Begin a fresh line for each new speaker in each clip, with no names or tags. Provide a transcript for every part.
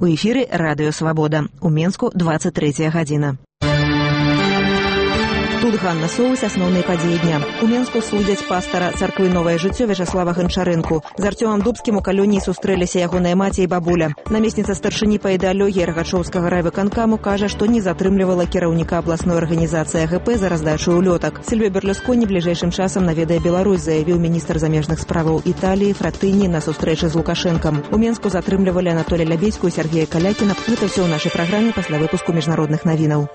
У эфіры радыё «Свабода». У Менску 23 гадзіна. Тут Ганна Соус, асноўныя падзеі дня. У Менску судзяць пастара царквы «Новае жыццё» Вячаслава Ганчарэнку. З Артёмам Дубскім у калоніі сустрэліся ягоная маці і бабуля. Намесніца старшыні па ідэалогіі Рагачоўскага райвыканкаму кажа, што не затрымлівала кіраўніка абласной арганізацыі АГП за раздачу улётак. Сільвіё Берлусконі бліжэйшым часам наведае Беларусь, заявіў міністр замежных справаў Італіі Фратыні на сустрэчы з Лукашэнкам. У Менску затрымлівалі Анатолія Лябедзьку і Сергея Калякіна. Гэта ўсё ў нашай праграме пасля выпуску міжнародных навінаў.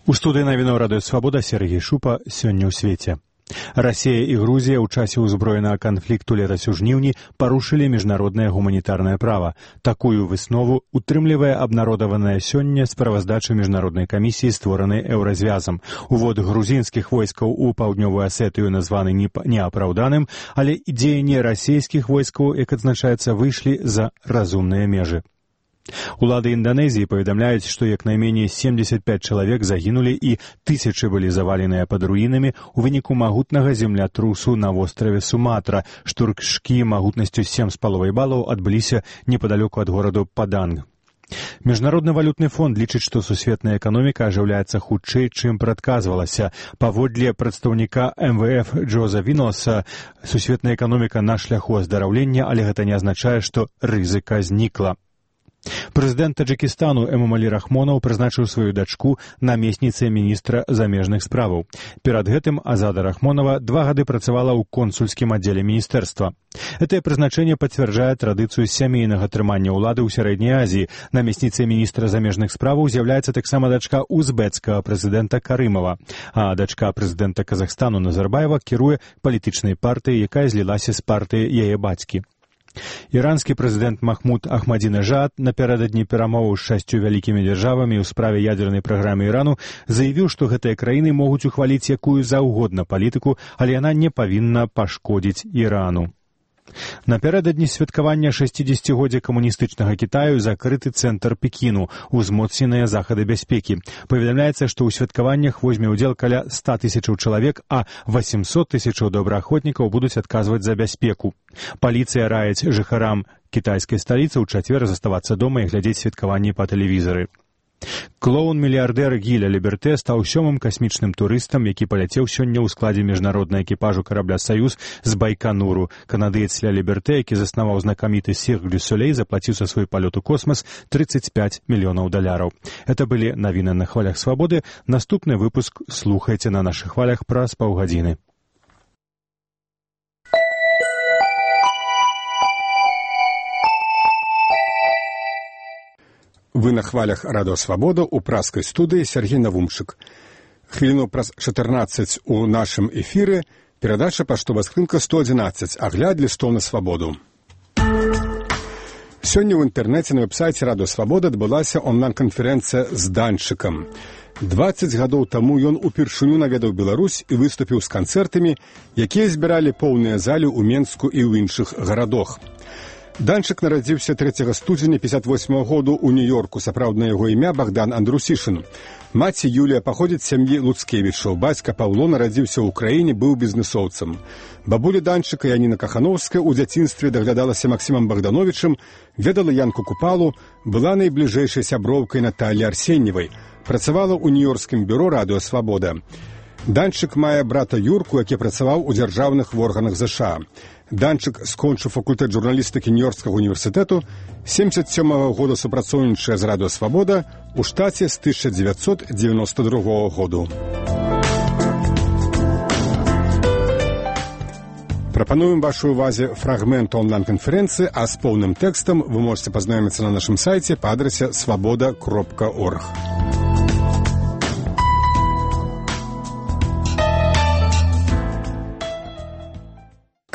У студыі навінаў радыё «Свабода» Сергей Шупа. Сёння ў свеце. Расія і Грузія ў часе ўзброенага канфлікту летась у жніўні парушылі міжнароднае гуманітарнае права. Такую выснову утрымлівае абнародаваная сёння справаздача міжнароднай камісіі, створанай Еўразвязам. Увод грузінскіх войскаў у паўднёвую Асетыю названы неапраўданым, але дзеянні расійскіх войскаў, як адзначаецца, выйшлі за разумныя межы. Улады Інданезіі паведамляюць, што як найменей 75 чалавек загінулі і тысячы былі заваленыя пад руінамі ў выніку магутнага землятрусу на востраве Суматра. Штуршкі магутнасцю 7,5 балаў адбыліся непадалёку ад гораду Паданг. Міжнародны валютны фонд лічыць, што сусветная эканоміка ажыўляецца хутчэй, чым прадказвалася. Паводле прадстаўніка МВФ Джоза Віноса, сусветная эканоміка на шляху аздараўлення, але гэта не азначае, што рызыка знікла. Прэзідэнт Таджыкістану Эмомалі Рахмонаў прызначыў сваю дачку намесніцай міністра замежных справаў. Перад гэтым Азада Рахмонава 2 гады працавала ў консульскім аддзеле міністэрства. Гэтае прызначэнне пацвярджае традыцыю сямейнага трымання ўлады ў Сярэдняй Азіі. Намесніцай міністра замежных справаў з'яўляецца таксама дачка узбекскага прэзідэнта Карымава, а дачка прэзідэнта Казахстану Назарбаева кіруе палітычнай партыяй, якая злілася з партыяй яе бацькі. Іранскі прэзідэнт Махмуд Ахмадзінежад напярэдадні перамоваў з 6 вялікімі дзяржавамі ў справе ядзернай праграмы Ірану заявіў, што гэтыя краіны могуць ухваліць якую заўгодна палітыку, але яна не павінна пашкодзіць Ірану. Напярэдадні святкавання 60-годдзя камуністычнага Кітаю закрыты цэнтр Пекіну, узмоцненыя захады бяспекі. Паведамляецца, што ў святкаваннях возьме ўдзел каля 100 000 чалавек, а 800 000 добраахвотнікаў будуць адказваць за бяспеку. Паліцыя раіць жыхарам кітайскай сталіцы ў чацвер заставацца дома і глядзець святкаванні па тэлевізары. Клоун-мільярдэр Гіля Ліберте стаў 7-м касмічным турыстам, які паляцеў сёння ў складзе міжнароднага экіпажу карабля «Саюз» з Байкануру. Канадыец Ля Ліберте, які заснаваў знакаміты «Сірк дю Солей», заплаціў за свой палёт у космас $35 мільёнаў. Это былі навіны на хвалях «Свабоды». Наступны выпуск слухайце на нашых хвалях праз паўгадзіны.
Вы на хвалях радыё «Свабода» у праскай студыі Сергей Навумчык. Хвіліну праз 14 у нашым эфіры перадача паштовая скрынка 111, агляд лістоў на свабоду. Сёння ў інтэрнэце на вэб-сайце радыё «Свабода» адбылася онлайн-канферэнцыя з Данчыкам. 20 гадоў таму ён упершыню наведаў Беларусь і выступіў з канцэртамі, якія збіралі поўныя залі ў Менску і ў іншых гарадах. Данчык нарадзіўся 3 студзеня 58 году ў Нью-Йорку. Сапраўднае яго імя Богдан Андрусішын. Маці Юлія паходзіць з сям'і Луцкевічаў. Бацька Паўло нарадзіўся ў краіне, быў бізнэсоўцам. Бабуля Данчыка Яніна Кахановская ў дзяцінстве даглядалася Максімам Богдановічым, ведала Янку Купалу, была найбліжэйшай сяброўкай Наталі Арсеньевай. Працавала ў нью-йоркскім бюро радыё «Свабода». Данчык мае брата Юрку, які працаваў у дзяржаўных органах ЗША. Данчык скончыў факультэт журналістыкі Нью-Йоркскага універсітэту, 77-го года супрацоўнічае з радыё «Свабода», у штаце з 1992 году. Прапануем вашай увазе фрагмент онлайн-канферэнцыі, а з поўным тэкстам вы можете пазнаёміцца на нашым сайце па адрасе swoboda.org.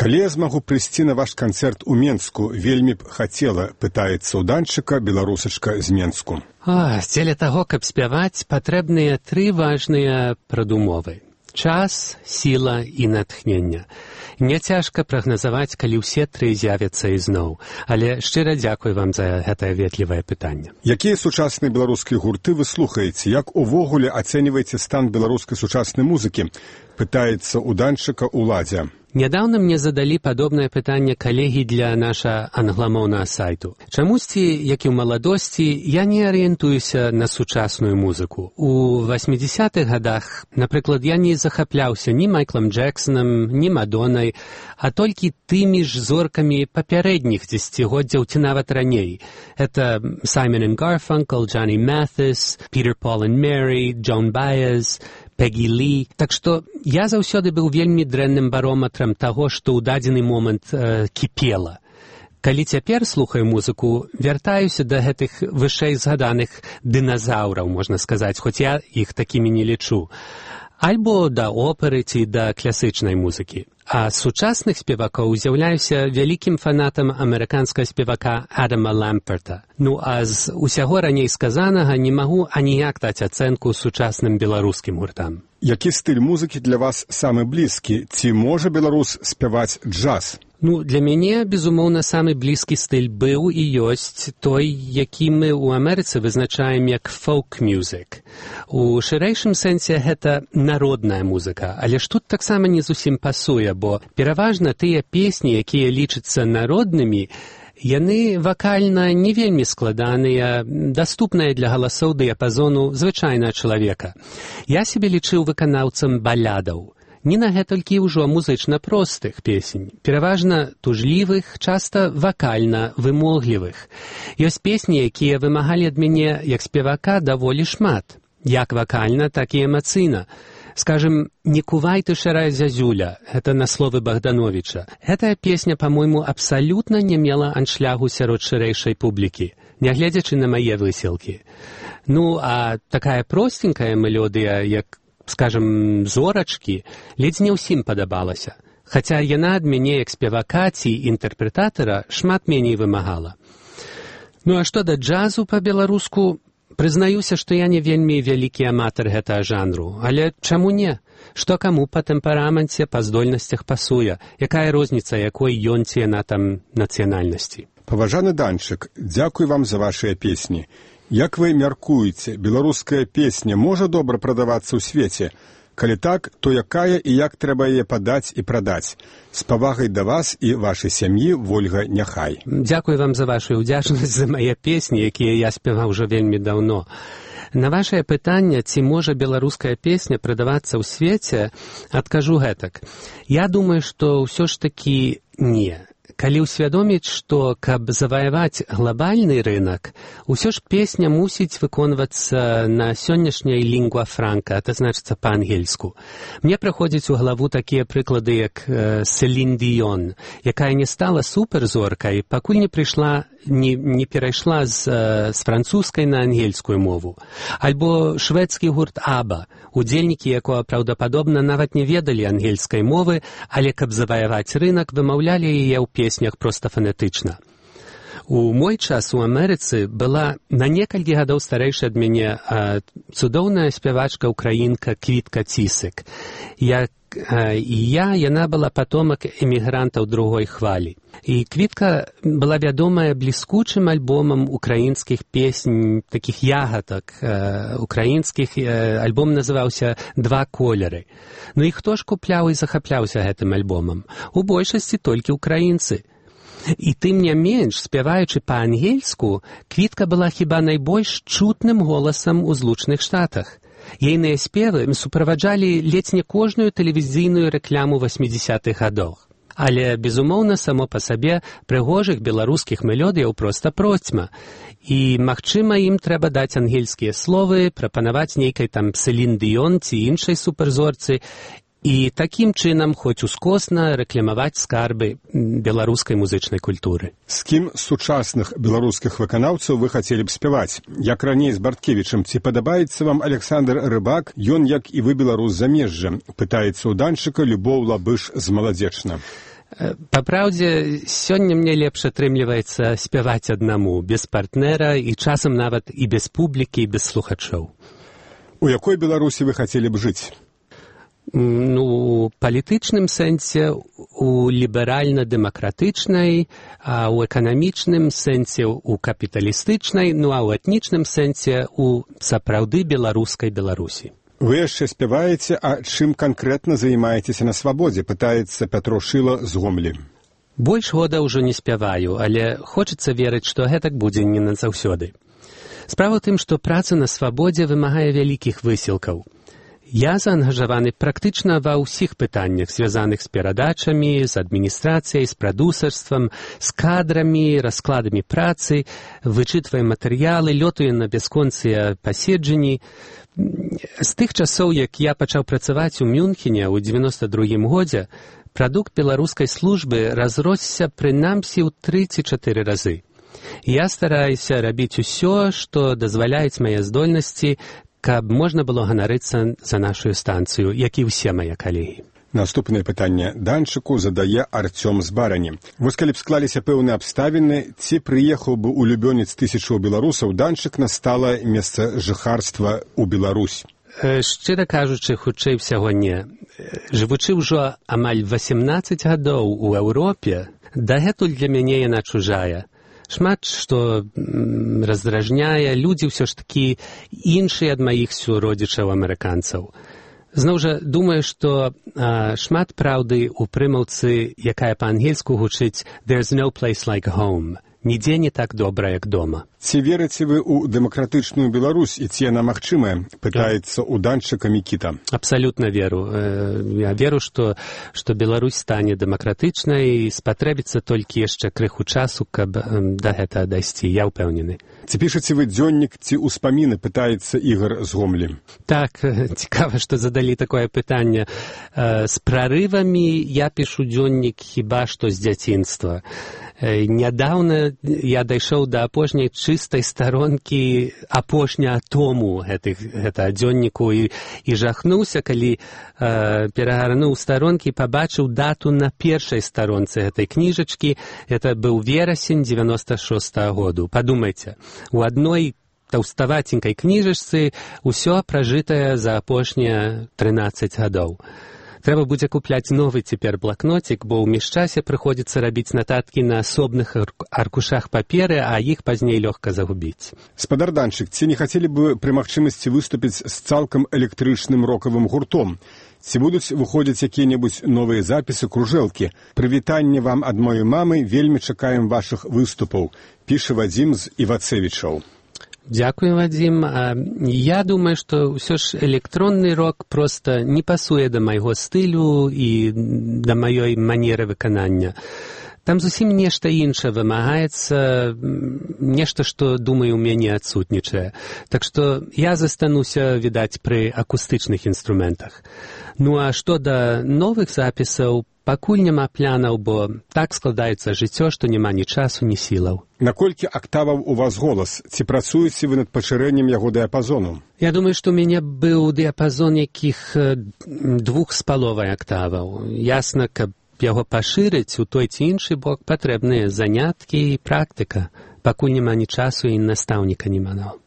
Калі я змагу прыйсці на ваш канцэрт у Менску, вельмі б хацела, пытаецца ў Данчыка беларусачка з Менску.
Дзеля таго, каб спяваць, патрэбныя 3 важныя прадумовы. Час, сіла і натхнення. Няцяжка прагназаваць, калі ўсе 3 з'явяцца ізноў. Але шчыра дзякуй вам за гэтае ветлівае пытанне.
Якія сучасныя беларускія гурты вы слухаеце? Як увогуле ацэньваеце стан беларускай сучаснай музыкі? Пытаецца ў Данчыка Уладзя.
Нядаўна мне задалі падобнае пытанне калегі для наша англамоўнага сайту. Чамусьці, як і ў маладосці, я не арыентуюся на сучасную музыку. У 80-х гадах, напрыклад, я не захапляўся ні Майклам Джексонам, ні Мадоннай, а толькі тымі ж зоркамі папярэдніх дзесяцігоддзяў ці нават раней. Это Simon and Garfunkel, Johnny Mathis, Peter, Paul and Mary, Joan Baez, Пегі Лі. Так што я заўсёды быў вельмі дрэнным барометрам таго, што ў дадзены момант кіпела. Калі цяпер слухаю музыку, вяртаюся да гэтых вышэй згаданых дыназаўраў, можна сказаць, хоць я іх такімі не лічу. Альбо да оперы ці да класычнай музыкі. А з сучасных спевакоў з'яўляюся вялікім фанатам амерыканскага спевака Адама Ламперта. Ну, а з усяго раней сказанага не магу аніяк даць ацэнку сучасным беларускім гуртам.
Які стыль музыкі для вас самы блізкі? Ці можа беларус спяваць джаз?
Ну, для мяне, безумоўна, самы блізкі стыль быў і ёсць той, які мы ў Амерыцы вызначаем як folk-music. У шырэйшым сэнсе гэта народная музыка, але ж тут таксама не зусім пасуе, бо пераважна тыя песні, якія лічацца народнымі, яны вакальна не вельмі складаныя, даступныя для галасоў дыяпазону звычайнага чалавека. Я сябе лічыў выканаўцам балядаў. Не на гэтулькі ўжо музычна простых песень, пераважна тужлівых, часта вакальна вымоглівых. Ёсць песні, якія вымагалі ад мяне як спевака даволі шмат, як вакальна, так і эмацыйна. Скажем, «Не кувай ты, шарая зязюля» — это на словы Богдановича. Гэтая песня, по-мойму, абсалютна не мела аншлягу сярод шырэйшай публікі, нягледзячы на мае высілкі. Ну, а такая простенькая мелодыя, як скажем, зорачкі, ледзь не ўсім падабалася. Хаця яна ад мяне як спевака ці інтэрпрэтатара шмат меней вымагала. Ну а што да джазу па-беларуску, прызнаюся, што я не вельмі вялікі аматар гэтага жанру. Але чаму не? Што каму па тэмпераменце, па здольнасцях пасуе? Якая розніца, якой ён ці яна там нацыянальнасці?
Паважаны Данчык, дзякуй вам за вашыя песні. Як вы мяркуеце, беларуская песня можа добра прадавацца ў свеце? Калі так, то якая і як трэба яе падаць і прадаць? З павагай да вас і вашай сям'і, Вольга Няхай.
Дзякуй вам за вашу ўдзячнасць за мае песні, якія я спяваў ўжо вельмі даўно. На вашае пытанне, ці можа беларуская песня прадавацца ў свеце, адкажу гэтак. Я думаю, што ўсё ж такі не. Калі ўсвядоміць, што, каб заваяваць глобальны рынок, усё ж песня мусіць выконвацца на сённяшняй лінгва франка, это значыцца па-ангельску. Мне прыходзяць у галаву такія прыклады, як Селін Діён, якая не стала суперзоркай, пакуль не перайшла з французскай на ангельскую мову. Альбо шведскі гурт Аба, удзельнікі якога праўдападобна нават не ведалі ангельскай мовы, але каб заваяваць рынок, вымаўлялі яе ў песнях проста фанетычна. У мой час у Амерыцы была на некалькі гадоў старэйшая ад мяне цудоўная спявачка-украінка Квітка Цісык. Яна была патомак эмігрантаў другой хвалі. І Квітка была вядомая бліскучым альбомам украінскіх песень, такіх ягадак украінскіх. Альбом называўся «Два колеры». Ну і хто ж купляў і захапляўся гэтым альбомам? У большасці толькі украінцы. І тым не менш, спяваючы па-ангельску, Квітка была хіба найбольш чутным голасам у Злучаных Штатах. Ейныя спевы суправаджалі ледзь не кожную тэлевізійную рэкляму 80-х гадоў. Але, безумоўна, само па сабе прыгожых беларускіх мелодыяў проста процьма. І, магчыма, ім трэба даць ангельскія словы, прапанаваць нейкай там Селін Діён ці іншай суперзорцы, і такім чынам хоць ускосна рэкламаваць скарбы беларускай музычнай культуры.
З кім з сучасных беларускіх выканаўцаў вы хацелі б спяваць? Як раней з Барткевічам, ці падабаецца вам Александр Рыбак, ён, як і вы, беларус замежжа? Пытаецца ў Данчыка Любоў Лабыш з Маладзечна.
Па праўдзе, сёння мне лепш атрымліваецца спяваць аднаму, без партнера і часам нават і без публікі, і без слухачоў.
У якой Беларусі вы хацелі б жыць?
Ну, у палітычным сэнсе, у ліберальна-дэмакратычнай, а ў эканамічным сэнсе у капіталістычнай, ну а ў этнічным сэнсе у сапраўды беларускай Беларусі.
Вы яшчэ спяваеце, а чым канкрэтна займаецеся на свабодзе, пытаецца Пятро Шыла з Гомлі.
Больш года ўжо не спяваю, але хочацца верыць, што гэтак будзе не назаўсёды. Справа ў тым, што праца на свабодзе вымагае вялікіх высілкаў. Я заангажаваны практычна ва ўсіх пытаннях, звязаных з перадачамі, з адміністрацыяй, з прадусарствам, з кадрамі, раскладамі працы, вычытваем матэрыялы, лётаю на бясконцыя паседжанні. З тых часоў, як я пачаў працаваць у Мюнхене ў 92-м годзе, прадукт беларускай службы разросся прынамсі ў 3-4 разы. Я стараюся рабіць усё, што дазваляюць мае здольнасці, каб можна было ганарыцца за нашу станцыю, як і ўсе мае калегі.
Наступнае пытанне Данчыку задае Арцём з Барані. Вось калі б склаліся пэўныя абставіны, ці прыехаў бы улюбёнец тысячаў беларусаў, Данчык на сталае месца жыхарства ў Беларусь?
Шчыра кажучы, хутчэй усяго не. Жывучы ўжо амаль 18 гадоў у Еўропе, дагэтуль для мяне яна чужая. Шмат што раздражняе, людзі ўсё ж такі іншыя ад маіх суродзічаў-амерыканцаў. Зноў жа, думаю, што шмат праўды ў прымаўцы, якая па-ангельску гучыць «There's no place like home». Нідзе не так добра, як дома.
Ці верыце вы ў дэмакратычную Беларусь, і ці яна магчымая? Пытаецца ў Данчыка Мікіта.
Абсалютна веру. Я веру, што Беларусь стане дэмакратычнай, і спатрэбіцца толькі яшчэ крыху часу, каб да гэтага дайсці. Я ўпэўнены.
Ці пішаце вы дзённік, ці ўспаміны, пытаецца Ігар з Гомлі.
Так, цікава, што задалі такое пытанне. З прарывамі я пішу дзённік хіба што з дзяцінства. Нядаўна я дайшоў да апошняй чыстай старонкі апошняга тому гэтага дзённіку і жахнуўся, калі перагарнуў старонкі, пабачыў дату на першай старонцы гэтай кніжачкі. Гэта быў верасень 96-го году. Падумайце, у адной таўставаценькай кніжачцы ўсё пражытае за апошнія 13 гадоў. Трэба будзе купляць новы цяпер блакнотик, бо ў міжчасе прыходзіцца рабіць нататкі на асобных аркушах паперы, а іх пазней лёгка загубіць.
Спадар Данчык, ці не хацелі бы пры магчымасці выступіць з цалкам электрычным рокавым гуртом? Ці будуць выходзіць якія-небудзь новыя запісы, кружэлкі? Прывітанне вам ад маёй мамы, вельмі чакаем вашых выступаў, піша Вадзім з Івацевічаў.
Дзякуй, Вадзім. Я думаю, што ўсё ж электронны рок проста не пасуе да майго стылю і да маёй манеры выканання. Там зусім нешта іншае вымагаецца, нешта, што, думаю, у мяне адсутнічае. Так што я застануся, відаць, пры акустычных інструментах. Ну а што да новых запісаў, пакуль няма планаў, бо так складаецца жыццё, што няма ні часу, ні сілаў.
Наколькі актаваў у вас голас? Ці працуеце вы над пашырэннем яго дыяпазону?
Я думаю, што ў мяне быў дыяпазон якіх 2,5 актаваў. Ясна, каб яго пашырыць у той ці іншы бок, патрэбныя заняткі і практыка. Пакуль няма ні часу і настаўніка няма.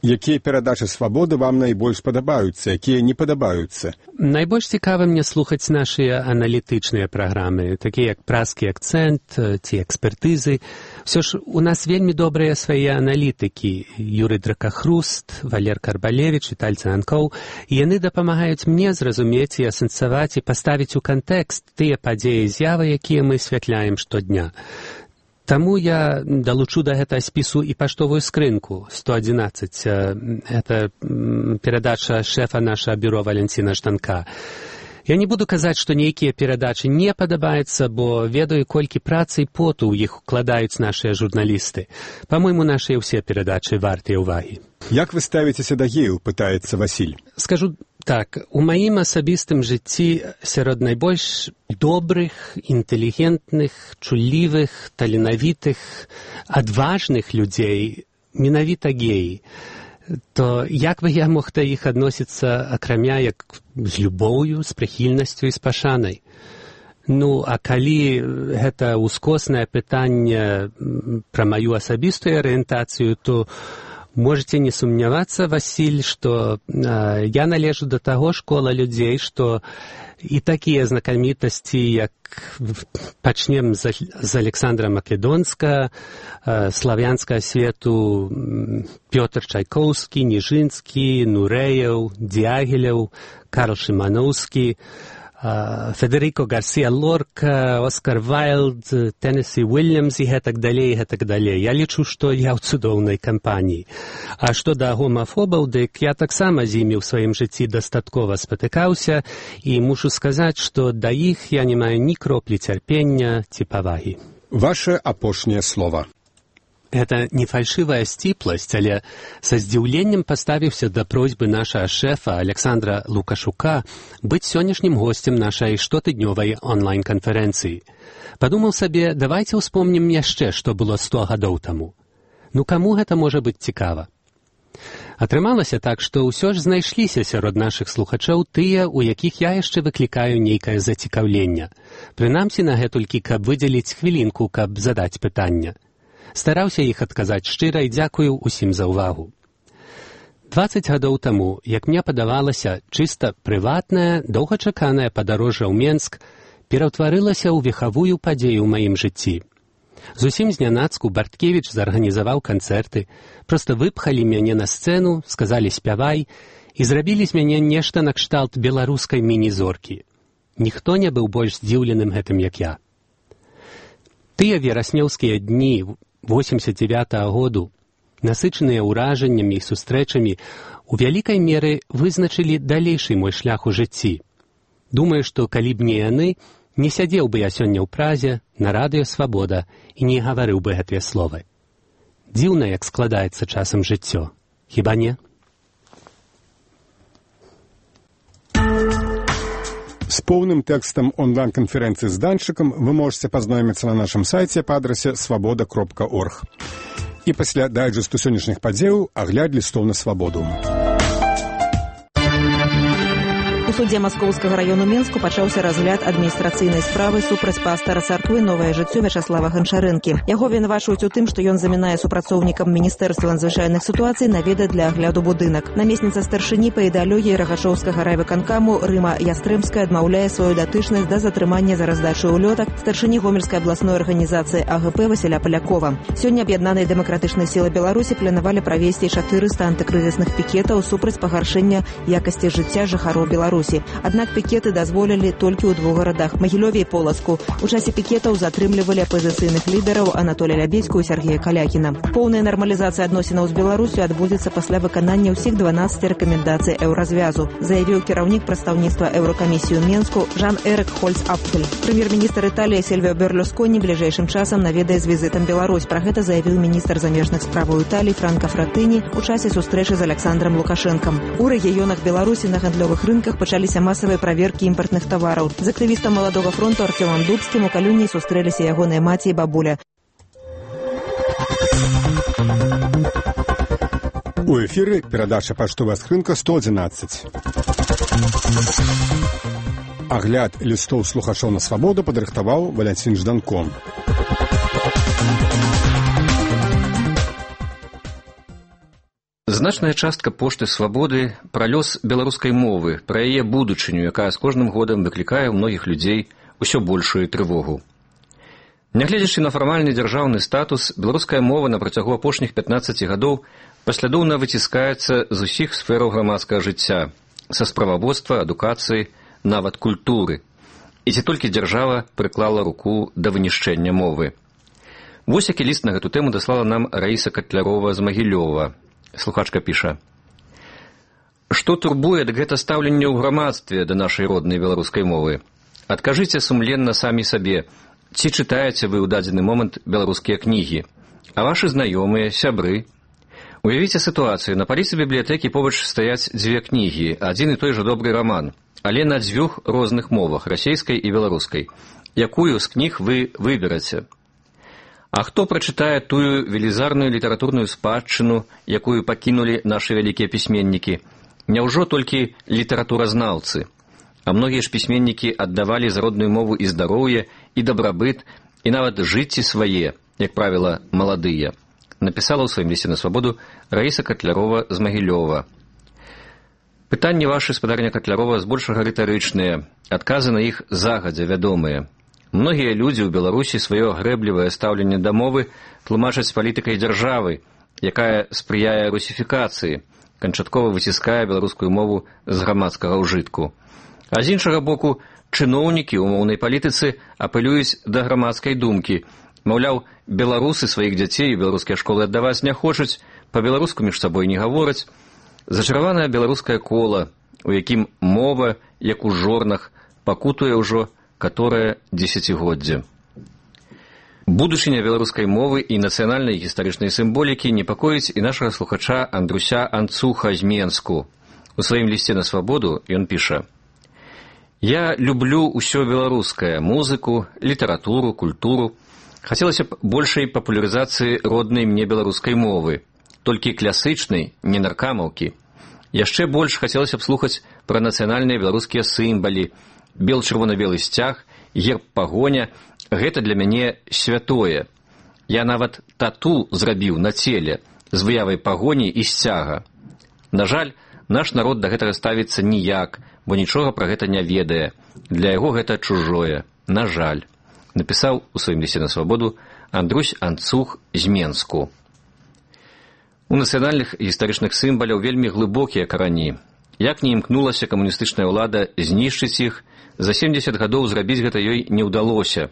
Якія перадачы свабоды вам найбольш падабаюцца, якія не падабаюцца?
Найбольш цікава мне слухаць нашыя аналітычныя праграмы, такія як «Празкі акцэнт» ці «Экспертызы». Усё ж у нас вельмі добрыя свае аналітыкі. Юрый Дракахруст, Валер Карбалевіч, Віталь Цанкоў. І яны дапамагаюць мне зразумець і асэнсаваць і паставіць у кантэкст тыя падзеі і з'явы, якія мы асвятляем штодня. Таму я далучу да гэтага спісу і паштовую скрынку 111. Гэта перадача шэфа нашага бюро Валянціна Жданка. Я не буду казаць, што нейкія перадачы не падабаюцца, бо ведаю, колькі працы і поту ў іх укладаюць нашыя журналісты. Па-мойму, нашыя ўсе перадачы вартыя ўвагі.
Як вы ставіцеся да геяў, пытаецца Васіль.
Скажу так, у маім асабістым жыцці сярод найбольш добрых, інтэлігентных, чуллівых, таленавітых, адважных людзей менавіта геі. То як бы я мог да іх адносіцца, акрамя як з любоўю, з прыхільнасцю і з пашанай? Ну, а калі гэта ўскоснае пытанне пра маю асабістую арыентацыю, то Можете не сумнявацца, Васіль, што я належу да таго школа людзей, што і такія знакамітасці, як пачнем з Александра Македонска, славянскага свету Пётр Чайкоўскі, Ніжынскі, Нурэеў, Дягілеў, Карл Шыманоўскі, Федерико Гарсія Лорка, Оскар Вайлд, Теннесі Уильямс і гэтак далей, гэтак далей. Я лічу, што я ў цудоўнай кампаніі. А што да гомафобаў, дык я таксама з імі ў сваім жыцці дастаткова спатыкаўся і мушу сказаць, што да іх я не маю ні кроплі цярпення ці павагі.
Ваше апошняе слова.
Гэта не фальшывая сціпласць, але са здзіўленнем паставіўся да просьбы нашага шэфа Александра Лукашука быць сённяшнім госцем нашай штотыднёвай онлайн-канферэнцыі. Падумаў сабе, давайце ўспомнім яшчэ, што было 100 гадоў таму. Ну каму гэта можа быць цікава? Атрымалася так, што ўсё ж знайшліся сярод нашых слухачоў тыя, у якіх я яшчэ выклікаю нейкае зацікаўленне. Прынамсі на гэтулькі, каб выдзеліць хвілінку, каб задаць пытанне. Стараўся іх адказаць шчыра і дзякую ўсім за ўвагу. 20 гадоў таму, як мне падавалася, чыста прыватная, доўгачаканая падарожжа ў Менск пераўтварылася ў вехавую падзею ў маім жыцці. Зусім знянацку Барткевіч зарганізаваў канцэрты, проста выпхалі мяне на сцэну, сказалі «спявай» і зрабілі з мяне нешта накшталт беларускай міні-зоркі. Ніхто не быў больш здзіўленым гэтым, як я. Тыя вераснёўскія дні 89-го году, насычаныя ўражаннямі і сустрэчамі, у вялікай меры вызначылі далейшы мой шлях у жыцці. Думаю, што калі б не яны, не сядзеў бы я сёння ў Празе, на радыё «Свабода» і не гаварыў бы гэтыя словы. Дзіўна, як складаецца часам жыццё. Хіба не?
С поўным тэкстам онлайн-канферэнцыі з Данчыкам вы можете пазнаёміцца на нашым сайце па адрасе свабода.орг. І пасля дайджэсту сённяшніх падзеяў агляд лістоў на свабоду.
У судзе Маскоўскага раёну Менску пачаўся разгляд адміністрацыйнай справы супраць пастара царквы «Новае жыццё» Вячаслава Гончарэнкі. Яго вінавачваюць у тым, што ён замінае супрацоўнікам Міністэрства надзвычайных сітуацый наведаць для агляду будынак. Намесніца старшыні па ідэалогіі Рагачоўскага райвыканкаму Рыма Ястрэмская адмаўляе сваю датычнасць да затрымання за раздачу ўлётак старшыні Гомельскай абласной арганізацыі АГП Васіля Палякова. Сёння аб'яднаныя дэмакратычныя сілы Беларусі планавалі правесці 400 антыкрызісных пікетаў супраць пагаршэння якасці жыцця жыхароў Беларусі. Аднак пікеты дазволілі толькі ў 2 гарадах – Магілёве і Полацку. У часе пікетаў затрымлівалі апазіцыйных лідараў Анатолія Лябедзьку і Сергея Калякіна. Поўная нармалізацыя адносінаў з Беларусю адбудзецца пасля выканання ўсіх 12 рэкамендацый еўразвязу, заявіў кіраўнік прадстаўніцтва Еўракамісіі ў Менску Жан-Эрык Хольц-Апфель. Прэм'ер-міністр Італіі Сільвіо Берлусконі бліжэйшым часам наведае з візітам Беларусь. Пра гэта заявіў міністр замежных справаў Італіі Франка Фратэні ў часе сустрэчы з Александром Лукашэнкам. У рэгіёнах Беларусі на гандлёвых рынках пачаліся масавыя праверкі імпартных тавараў. З актывістам Маладога фронту Артёмам Дубскім у Калюні сустрэліся ягоныя маці і бабуля.
У эфіры перадача паштовая скрынка 111. Агляд лістоў слухачоў на свабоду падрыхтаваў Валянцін Жданко.
Значная частка пошты «Свабоды» пра лёс беларускай мовы, пра яе будучыню, якая з кожным годам выклікае ў многіх людзей усё большую трывогу. Нягледзячы на фармальны дзяржаўны статус, беларуская мова на працягу апошніх 15 гадоў паслядоўна выціскаецца з усіх сфераў грамадскага жыцця, са справаводства, адукацыі, нават культуры. І ці толькі дзяржава прыклала руку да вынішчэння мовы. Вось які ліст на гэту тэму даслала нам Раіса Катлярова з Магілёва. Слухачка піша: «Што турбуе, дык гэта стаўленне ў грамадстве да нашай роднай беларускай мовы. Адкажыце сумленна самі сабе, ці чытаеце вы ў дадзены момант беларускія кнігі, а вашы знаёмыя, сябры. Уявіце сітуацыю, на паліцы бібліятэкі побач стаяць 2 кнігі, адзін і той жа добры раман, але на 2 розных мовах, расейскай і беларускай. Якую з кніг вы выбераце? А хто прачытае тую велізарную літаратурную спадчыну, якую пакінулі нашы вялікія пісьменнікі? Няўжо толькі літаратуразнаўцы? А многія ж пісьменнікі аддавалі за родную мову і здароўе, і дабрабыт, і нават жыцці свае, як правіла, маладыя. напісала ў сваім лісце на свабоду Раіса Катлярова з Магілёва. Пытанні вашы, спадарня Катлярова, збольшага рытарычныя, адказы на іх загадзя вядомыя. Многія людзі ў Беларусі сваё грэблівае стаўленне да мовы тлумачаць палітыкай дзяржавы, якая спрыяе русіфікацыі, канчаткова выціскае беларускую мову з грамадскага ўжытку. А з іншага боку, чыноўнікі ў моўнай палітыцы апелююць да грамадскай думкі. Маўляў, беларусы сваіх дзяцей у беларускія школы аддаваць не хочуць, па-беларуску між сабой не гавораць. Зачараванае беларускае кола, у якім мова, як у жорнах, пакутуе ўжо каторае дзесяцігоддзе. Будучыня беларускай мовы і нацыянальнай гістарычнай сімволікі непакоіць і нашага слухача Андруся Анцуха з Менску. У сваім лісце на свабоду ён піша: «Я люблю ўсё беларускае, музыку, літаратуру, культуру. Хацелася б большай папулярызацыі роднай мне беларускай мовы, толькі класычнай, не наркамаўкі. Яшчэ больш хацелася б слухаць пра нацыянальныя беларускія сімвалы, бел-чырвона-белы сцяг, герб-пагоня. Гэта для мяне святое. Я нават тату зрабіў на целе з выявай пагоні і сцяга. На жаль, наш народ да гэтага ставіцца ніяк, бо нічога пра гэта не ведае. Для яго гэта чужое. На жаль», напісаў у сваім лісце на свабоду Андрусь Анцух з Менску. У нацыянальных гістарычных сімваляў вельмі глыбокія карані. Як не імкнулася камуністычная ўлада знішчыць іх, за 70 гадоў зрабіць гэта ёй не ўдалося.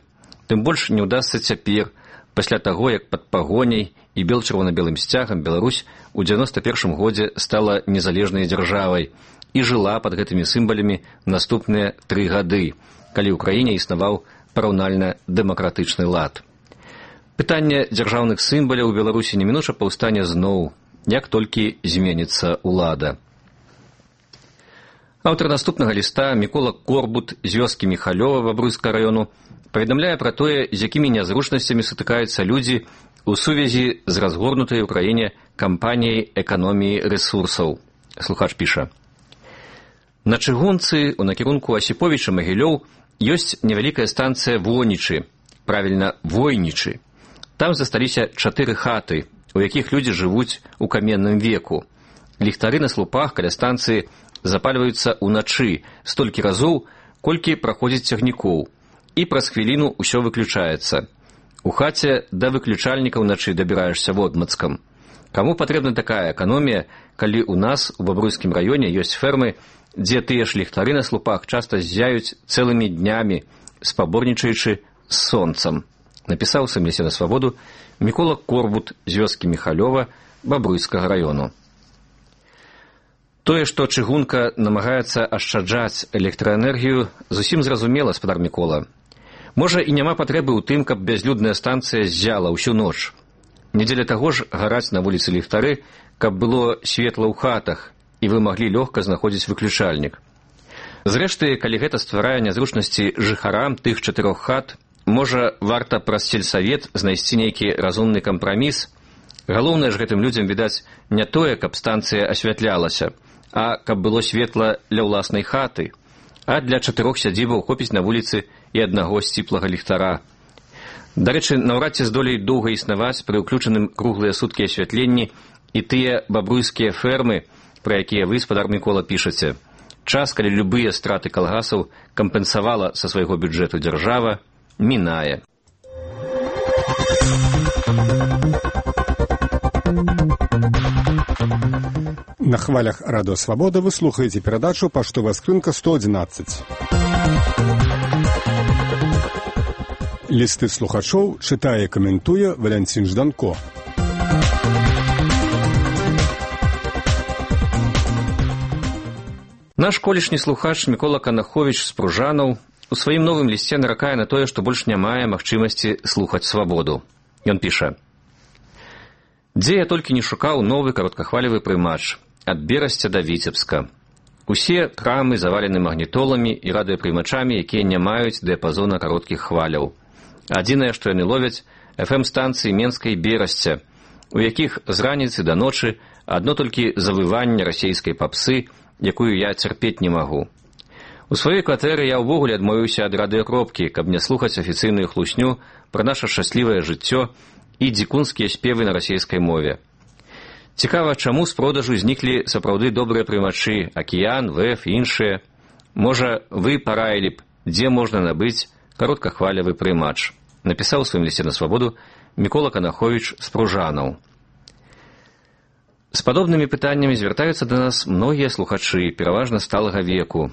Тым больш не ўдасца цяпер, пасля таго, як пад пагоняй і бел-чырвона-белым сцягам Беларусь у 91 годзе стала незалежнай дзяржавай і жыла пад гэтымі сімвалямі наступныя 3 гады, калі ў краіне існаваў параўнальна дэмакратычны лад. Пытанне дзяржаўных сімваляў у Беларусі немінуча паўстане зноў, як толькі зменіцца ўлада. Аўтар наступнага ліста Мікола Корбут з вёскі Міхалёва Бабруйскага раёну паведамляе пра тое, з якімі нязручнасцямі сутыкаюцца людзі ў сувязі з разгорнутай у краіне кампаніяй эканоміі рэсурсаў. Слухач піша: «На чыгунцы у накірунку Асіповіча-Магілёў ёсць невялікая станцыя Вонічы, правільна, Войнічы. Там засталіся 4 хаты, у якіх людзі жывуць у каменным веку. Ліхтары на слупах каля станцыі запальваюцца ўначы столькі разоў, колькі праходзіць цягнікоў, і праз хвіліну ўсё выключаецца. У хаце да выключальніка ўначы дабіраешся водмацкам. Каму патрэбна такая эканомія, калі ў нас у Бабруйскім раёне ёсць фермы, дзе тыя ж ліхтары на слупах часта ззяюць цэлымі днямі, спаборнічаючы з сонцам», напісаў у сваім лісце на свабоду Мікола Корбут з вёскі Міхалёва Бабруйскага раёну. Тое, што чыгунка намагаецца ашчаджаць электраэнергію, зусім зразумела, спадар Мікола. Можа, і няма патрэбы ў тым, каб бязлюдная станцыя ззяла ўсю ноч. Не дзеля таго ж гараць на вуліцы ліхтары, каб было светла ў хатах, і вы маглі лёгка знаходзіць выключальнік. Зрэшты, калі гэта стварае нязручнасці жыхарам тых 4 хат, можа, варта праз сельсавет знайсці нейкі разумны кампраміс. Галоўнае ж гэтым людзям, відаць, не тое, каб станцыя асвятлялася, а каб было светла для ўласнай хаты, а для 4 сядзібаў хопіць на вуліцы і аднаго сціплага ліхтара. Дарэчы, наўрад ці здолеюць доўга існаваць пры ўключаным круглыя суткі асвятленні і тыя бабруйскія фермы, пра якія вы, спадар Мікола, пішаце. Час, калі любыя страты калгасаў кампенсавала са свайго бюджэту дзяржава, мінае.
На хвалях Радыё Свабода вы слухаеце перадачу «Паштовая скрынка 111». Лісты слухачоў чытае і каментуе Валянцін Жданко.
Наш колішні слухач Мікола Канаховіч з Пружанаў у сваім новым лісце наракае на тое, што больш не мае магчымасці слухаць свабоду. Ён піша: «Дзе я толькі не шукаў новы кароткахвалевы прымач, ад Берасця да Віцебска. Усе крамы завалены магнітоламі і радыёпрымачамі, якія не маюць дыяпазона кароткіх хваляў. Адзінае, што яны ловяць, FM-станцыі Менскай Берасця, у якіх з раніцы да ночы адно толькі завыванне расейскай папсы, якую я цярпець не магу. У сваёй кватэры я ўвогуле адмовіўся ад радыёкропкі, каб не слухаць афіцыйную хлусню пра наша шчаслівае жыццё і дзікунскія спевы на расійскай мове. Цікава, чаму з продажу зніклі сапраўды добрыя прымачы «Акіян», «ВФ» і іншыя. Можа, вы параілі б, дзе можна набыць кароткахвалявы прымач, напісаў у сваім лісце на свабоду Мікола Канаховіч з Пружанаў. З падобнымі пытаннямі звяртаюцца да нас многія слухачы, пераважна сталага веку.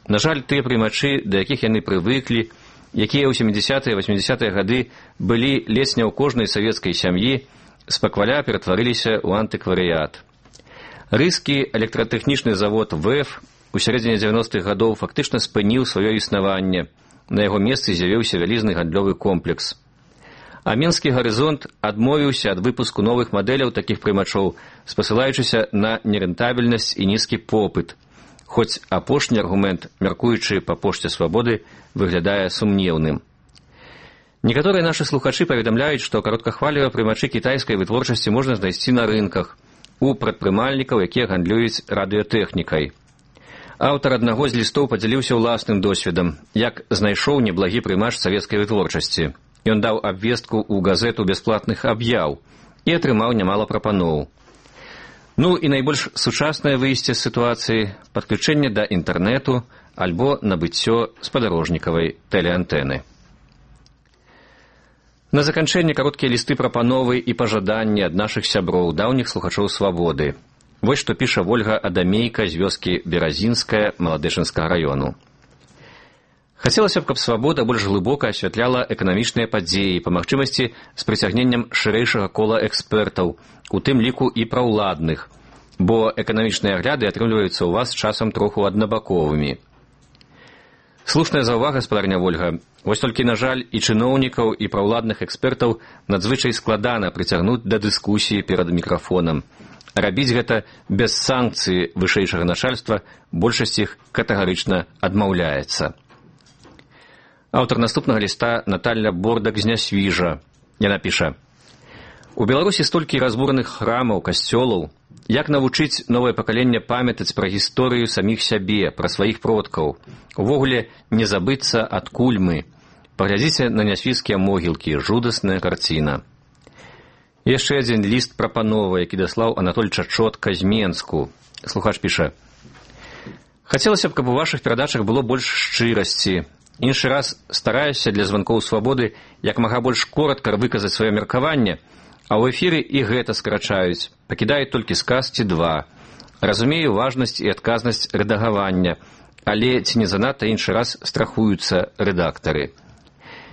На жаль, тыя прымачы, да якіх яны прывыклі, якія ў 70-е, 80-е гады былі ледзь не ў кожнай савецкай сям'і, спакваля ператварыліся ў антыкварыят. Рыскі электратэхнічны завод ВЭФ у сярэдзіне 90-х гадоў фактычна спыніў сваё існаванне. На яго месцы з'явіўся вялізны гандлёвы комплекс. А Менскі гарызонт адмовіўся ад выпуску новых мадэляў такіх прымачоў, спасылаючыся на нерэнтабельнасць і нізкі попыт. Хоць апошні аргумент, мяркуючы па пошце свабоды, выглядае сумнеўным. Некаторыя нашы слухачы паведамляюць, што кароткахвалевыя прымачы кітайскай вытворчасці можна знайсці на рынках у прадпрымальнікаў, якія гандлююць радыётэхнікай. Аўтар аднаго з лістоў падзяліўся ўласным досведам, як знайшоў неблагі прымач савецкай вытворчасці. Ён даў абвестку ў газету бясплатных аб'яў і атрымаў нямала прапаноў. Ну і найбольш сучаснае выйсце з сітуацыі – падключэнне да інтэрнэту альбо набыццё спадарожнікавай тэлеантэны. На заканчэнне кароткія лісты прапановы і пажаданні ад нашых сяброў, даўніх слухачоў свабоды. Вось што піша Вольга Адамейка з вёскі Беразінская Маладэчынскага раёну. Хацелася б, каб свабода больш глыбока асвятляла эканамічныя падзеі, па магчымасці з прыцягненнем шырэйшага кола экспертаў, у тым ліку і праўладных, бо эканамічныя агляды атрымліваюцца ў вас часам троху аднабаковымі. Слушная заўвага, спадарня Вольга. Вось толькі, на жаль, і чыноўнікаў, і праўладных экспертаў надзвычай складана прыцягнуць да дыскусіі перад мікрафонам. Рабіць гэта без санкцыі вышэйшага начальства большасць іх катэгарычна адмаўляецца. Аўтар наступнага ліста Наталья Бордак з Нясвіжа. Яна піша: «У Беларусі столькі разбураных храмаў, касцёлаў. Як навучыць новае пакаленне памятаць пра гісторыю саміх сябе, пра сваіх продкаў? Увогуле не забыцца, адкуль мы. Паглядзіце на нясвіжскія могілкі, жудасная карціна». Яшчэ адзін ліст прапановы, які даслаў Анатоль Чачотка з Менску. Слухач піша: «Хацелася б, каб у вашых перадачах было больш шчырасці. Іншы раз стараюся для званкоў свабоды як мага больш коротка выказаць сваё меркаванне, а ў эфіры і гэта скарачаюць, пакідаюць толькі сказ ці два. Разумею важнасць і адказнасць рэдагавання, але ці не занадта іншы раз страхуюцца рэдактары».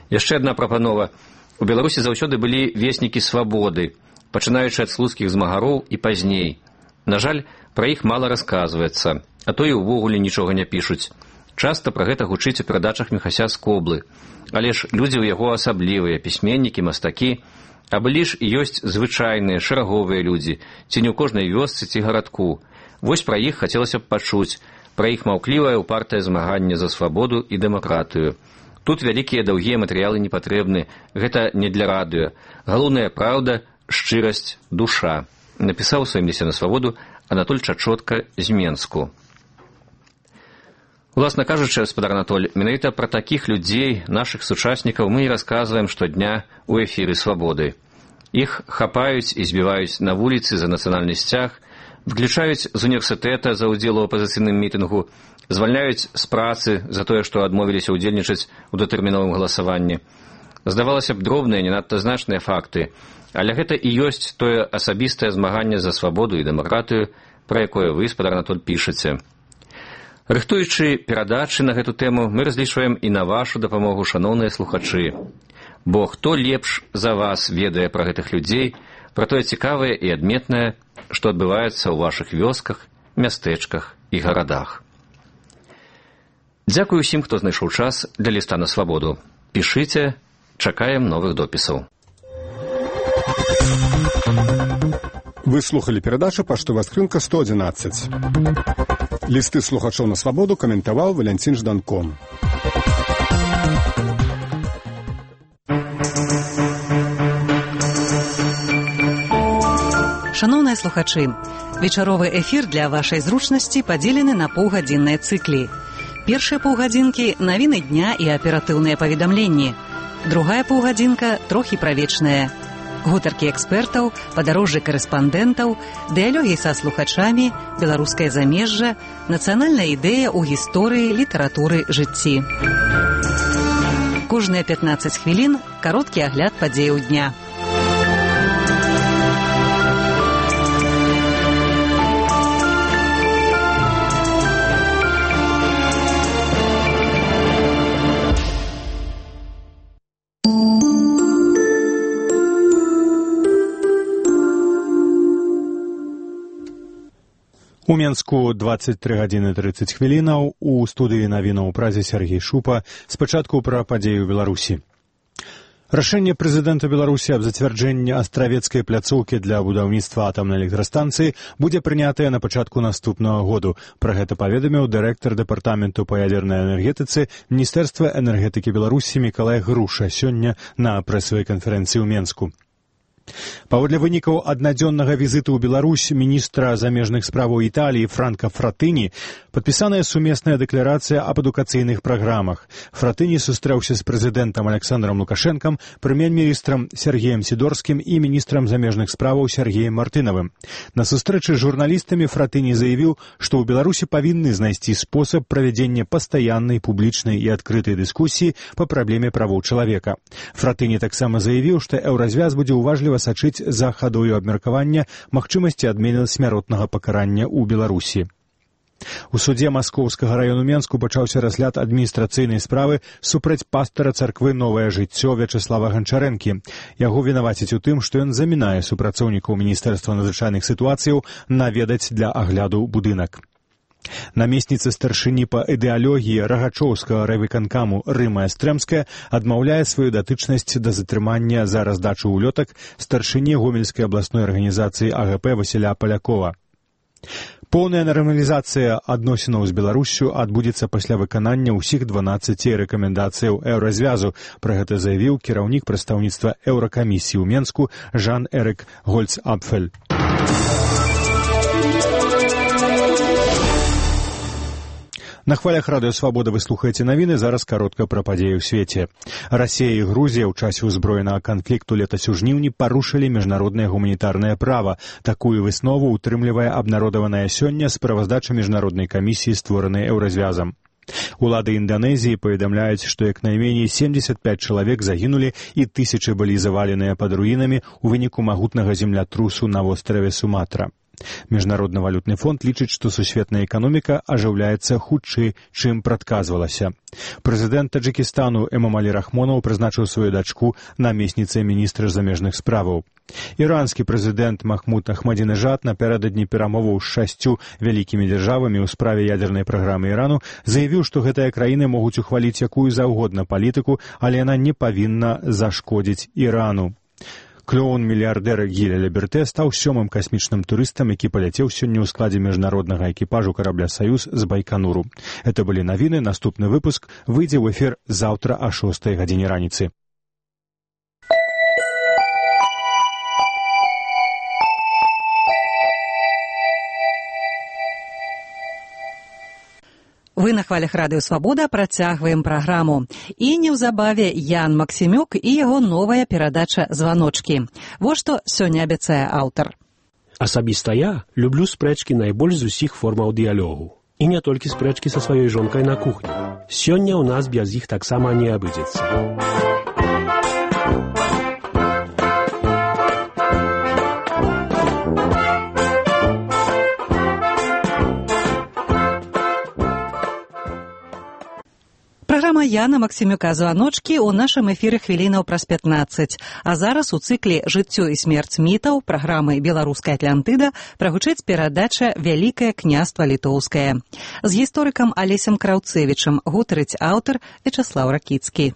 Яшчэ адна прапанова. У Беларусі заўсёды былі веснікі свабоды, пачынаючы ад слуцкіх змагароў і пазней. На жаль, пра іх мала расказваецца, а то і ўвогуле нічога не пішуць. Часта пра гэта гучыць у перадачах Міхася Скоблы. Але ж людзі ў яго асаблівыя, пісьменнікі, мастакі, а былі ж і ёсць звычайныя, шэраговыя людзі, ці не ў кожнай вёсцы ці гарадку. Вось пра іх хацелася б пачуць, пра іх маўклівае упартае змаганне за свабоду і дэмакратыю. Тут вялікія даўгія матэрыялы не патрэбны, гэта не для радыё. Галоўная праўда, шчырасць, душа. Напісаў у сваім лісце на свабоду Анатоль Чачотка з Менску. Уласна кажучы, спадар Анатоль, менавіта пра такіх людзей, нашых сучаснікаў, мы і расказваем штодня ў эфіры свабоды. Іх хапаюць і збіваюць на вуліцы за нацыянальны сцяг, выключаюць з універсітэта за ўдзел у апазіцыйным мітынгу, звальняюць з працы за тое, што адмовіліся ўдзельнічаць у датэрміновым галасаванні. Здавалася б, дробныя, не надта значныя факты, але гэта і ёсць тое асабістае змаганне за свабоду і дэмакратыю, пра якое вы, спадар Анатоль, пішаце. Рыхтуючы перадачы на гэту тэму, мы разлічваем і на вашу дапамогу, шаноўныя слухачы. Бо хто лепш за вас ведае пра гэтых людзей, пра тое цікавае і адметнае, што адбываецца ў вашых вёсках, мястэчках і гарадах. Дзякую ўсім, хто знайшоў час для ліста на свабоду. Пішыце, чакаем новых допісаў.
Вы слухали перадачу «Паштовая скрынка 111». Лісты слухачоў на свабоду каментаваў Валянцін Жданко.
Шаноўныя слухачы, вечаровы эфір для вашай зручнасці падзелены на паўгадзінныя цыклі. Першыя паўгадзінкі – навіны дня і аператыўныя паведамленні. Другая паўгадзінка – трохі пра вечнае. Гутаркі экспертаў, падарожжы карэспандэнтаў, дыялогі са слухачамі, беларускае замежжа, нацыянальная ідэя ў гісторыі, літаратуры, жыцці. Кожныя 15 хвілін кароткі агляд падзеяў дня.
У Менску 23 гадзіны 30 хвілінаў, у студыі навінаў у Празе Сергей Шупа. Спачатку пра падзею ў Беларусі. Рашэнне прэзідэнта Беларусі аб зацвярджэнні астравецкай пляцоўкі для будаўніцтва атамнай электрастанцыі будзе прынятае на пачатку наступнага году. Пра гэта паведаміў дырэктар дэпартаменту па ядзернай энергетыцы Міністэрства энергетыкі Беларусі Мікалай Груша сёння на прэсавай канферэнцыі ў Менску. Паводле вынікаў аднадзённага візіту ў Беларусь міністра замежных справаў Італіі Франка Фратыні падпісаная сумесная дэкларацыя аб адукацыйных праграмах. Фратыні сустрэўся з прэзідэнтам Александром Лукашэнкам, прэм'ер-міністрам Сергеем Сідорскім і міністрам замежных справаў Сергеем Мартынавым. На сустрэчы з журналістамі Фратыні заявіў, што ў Беларусі павінны знайсці спосаб правядзення пастаяннай публічнай і адкрытай дыскусіі па праблеме правоў чалавека. Фратыні таксама заявіў, што еўразвяз будзе уважліва сачыць за хадою абмеркавання магчымасці адмены смяротнага пакарання ў Беларусі. У судзе Маскоўскага раёну Менску пачаўся разгляд адміністрацыйнай справы супраць пастара царквы «Новае жыццё» Вячаслава Ганчарэнкі. Яго вінавацяць у тым, што ён замінае супрацоўнікаў Міністэрства надзвычайных сітуацыяў наведаць для агляду будынак. Намесніца старшыні па ідэалогіі Рагачоўскага райвыканкаму Рыма Эстрэмская адмаўляе сваю датычнасць да затрымання за раздачу ўлётак старшыні Гомельскай абласной арганізацыі АГП Васіля Палякова. Поўная нармалізацыя адносінаў з Беларуссю адбудзецца пасля выканання ўсіх 12 рэкамендацыяў еўразвязу. Пра гэта заявіў кіраўнік прадстаўніцтва Еўракамісіі ў Менску Жан-Эрык Гольц-Апфель. На хвалях радыё «Свабода» вы слухаеце навіны, зараз каротка пра падзеі ў свеце. Расія і Грузія ў часе ўзброенага канфлікту летась у жніўні парушылі міжнароднае гуманітарнае права. Такую выснову ўтрымлівае абнародаваная сёння справаздача міжнароднай камісіі, створанай еўразвязам. Улады Інданезіі паведамляюць, што як найменей 75 чалавек загінулі і тысячы былі заваленыя пад руінамі ў выніку магутнага землятрусу на востраве Суматра. Міжнародны валютны фонд лічыць, што сусветная эканоміка ажыўляецца хутчэй, чым прадказвалася. Прэзідэнт Таджыкістану Эмомалі Рахмонаў прызначыў сваю дачку намесніцай міністра замежных справаў. Іранскі прэзідэнт Махмуд Ахмадзінежад напярэдадні перамоваў з 6 вялікімі дзяржавамі ў справе ядзернай праграмы Ірану заявіў, што гэтыя краіны могуць ухваліць якую заўгодна палітыку, але яна не павінна зашкодзіць Ірану. Клоун-мільярдэр Гіля Ліберте стаў 7-м касмічным турыстам, які паляцеў сёння ў складзе міжнароднага экіпажу карабля «Саюз» з Байкануру. Это былі навіны, наступны выпуск выйдзе ў эфір заўтра о 6 гадзіне раніцы.
Вы на хвалях радыё «Свабода» працягваем праграму. І неўзабаве Ян Максімюк і яго новая перадача «Званочкі». Вось што сёння абяцае аўтар.
Асабіста я люблю спрэчкі найбольш з усіх формаў дыялогу. І не толькі спрэчкі са сваёй жонкай на кухні. Сёння ў нас без іх таксама не абыдзецца.
Праграма Яна Максімюка «Званочкі» ў нашым эфіры хвілінаў праз 15. А зараз у цыкле «Жыццё і смерць мітаў» праграмы «Беларуская Атлантыда» прагучыць перадача «Вялікае княства літоўскае». З гісторыкам Алесем Краўцевічам гутарыць аўтар Вячаслаў Ракіцкі.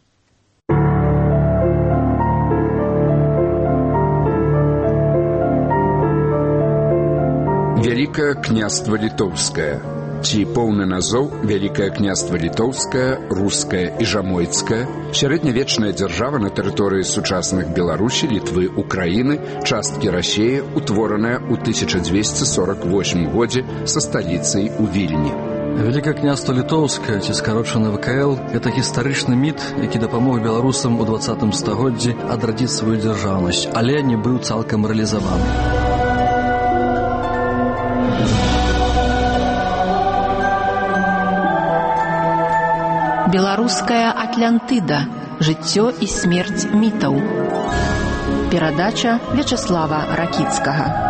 Вялікае княства літоўскае. Ці поўны назоў Вялікае княства літоўскае, рускае і жамойцкае, сярэднявечная дзяржава на тэрыторыі сучасных Беларусі, Літвы, Украіны, часткі Расіі, утвораная ў 1248 годзе са сталіцай у Вільні.
Вялікае княства літоўскае, ці скарочана ВКЛ, гэта гістарычны міт, які дапамог беларусам у 20 стагоддзі адрадзіць сваю дзяржаўнасць, але не быў цалкам рэалізаваны.
Беларуская Атлантыда. Жыццё і смерць мітаў. Перадача Вячаслава Ракіцкага.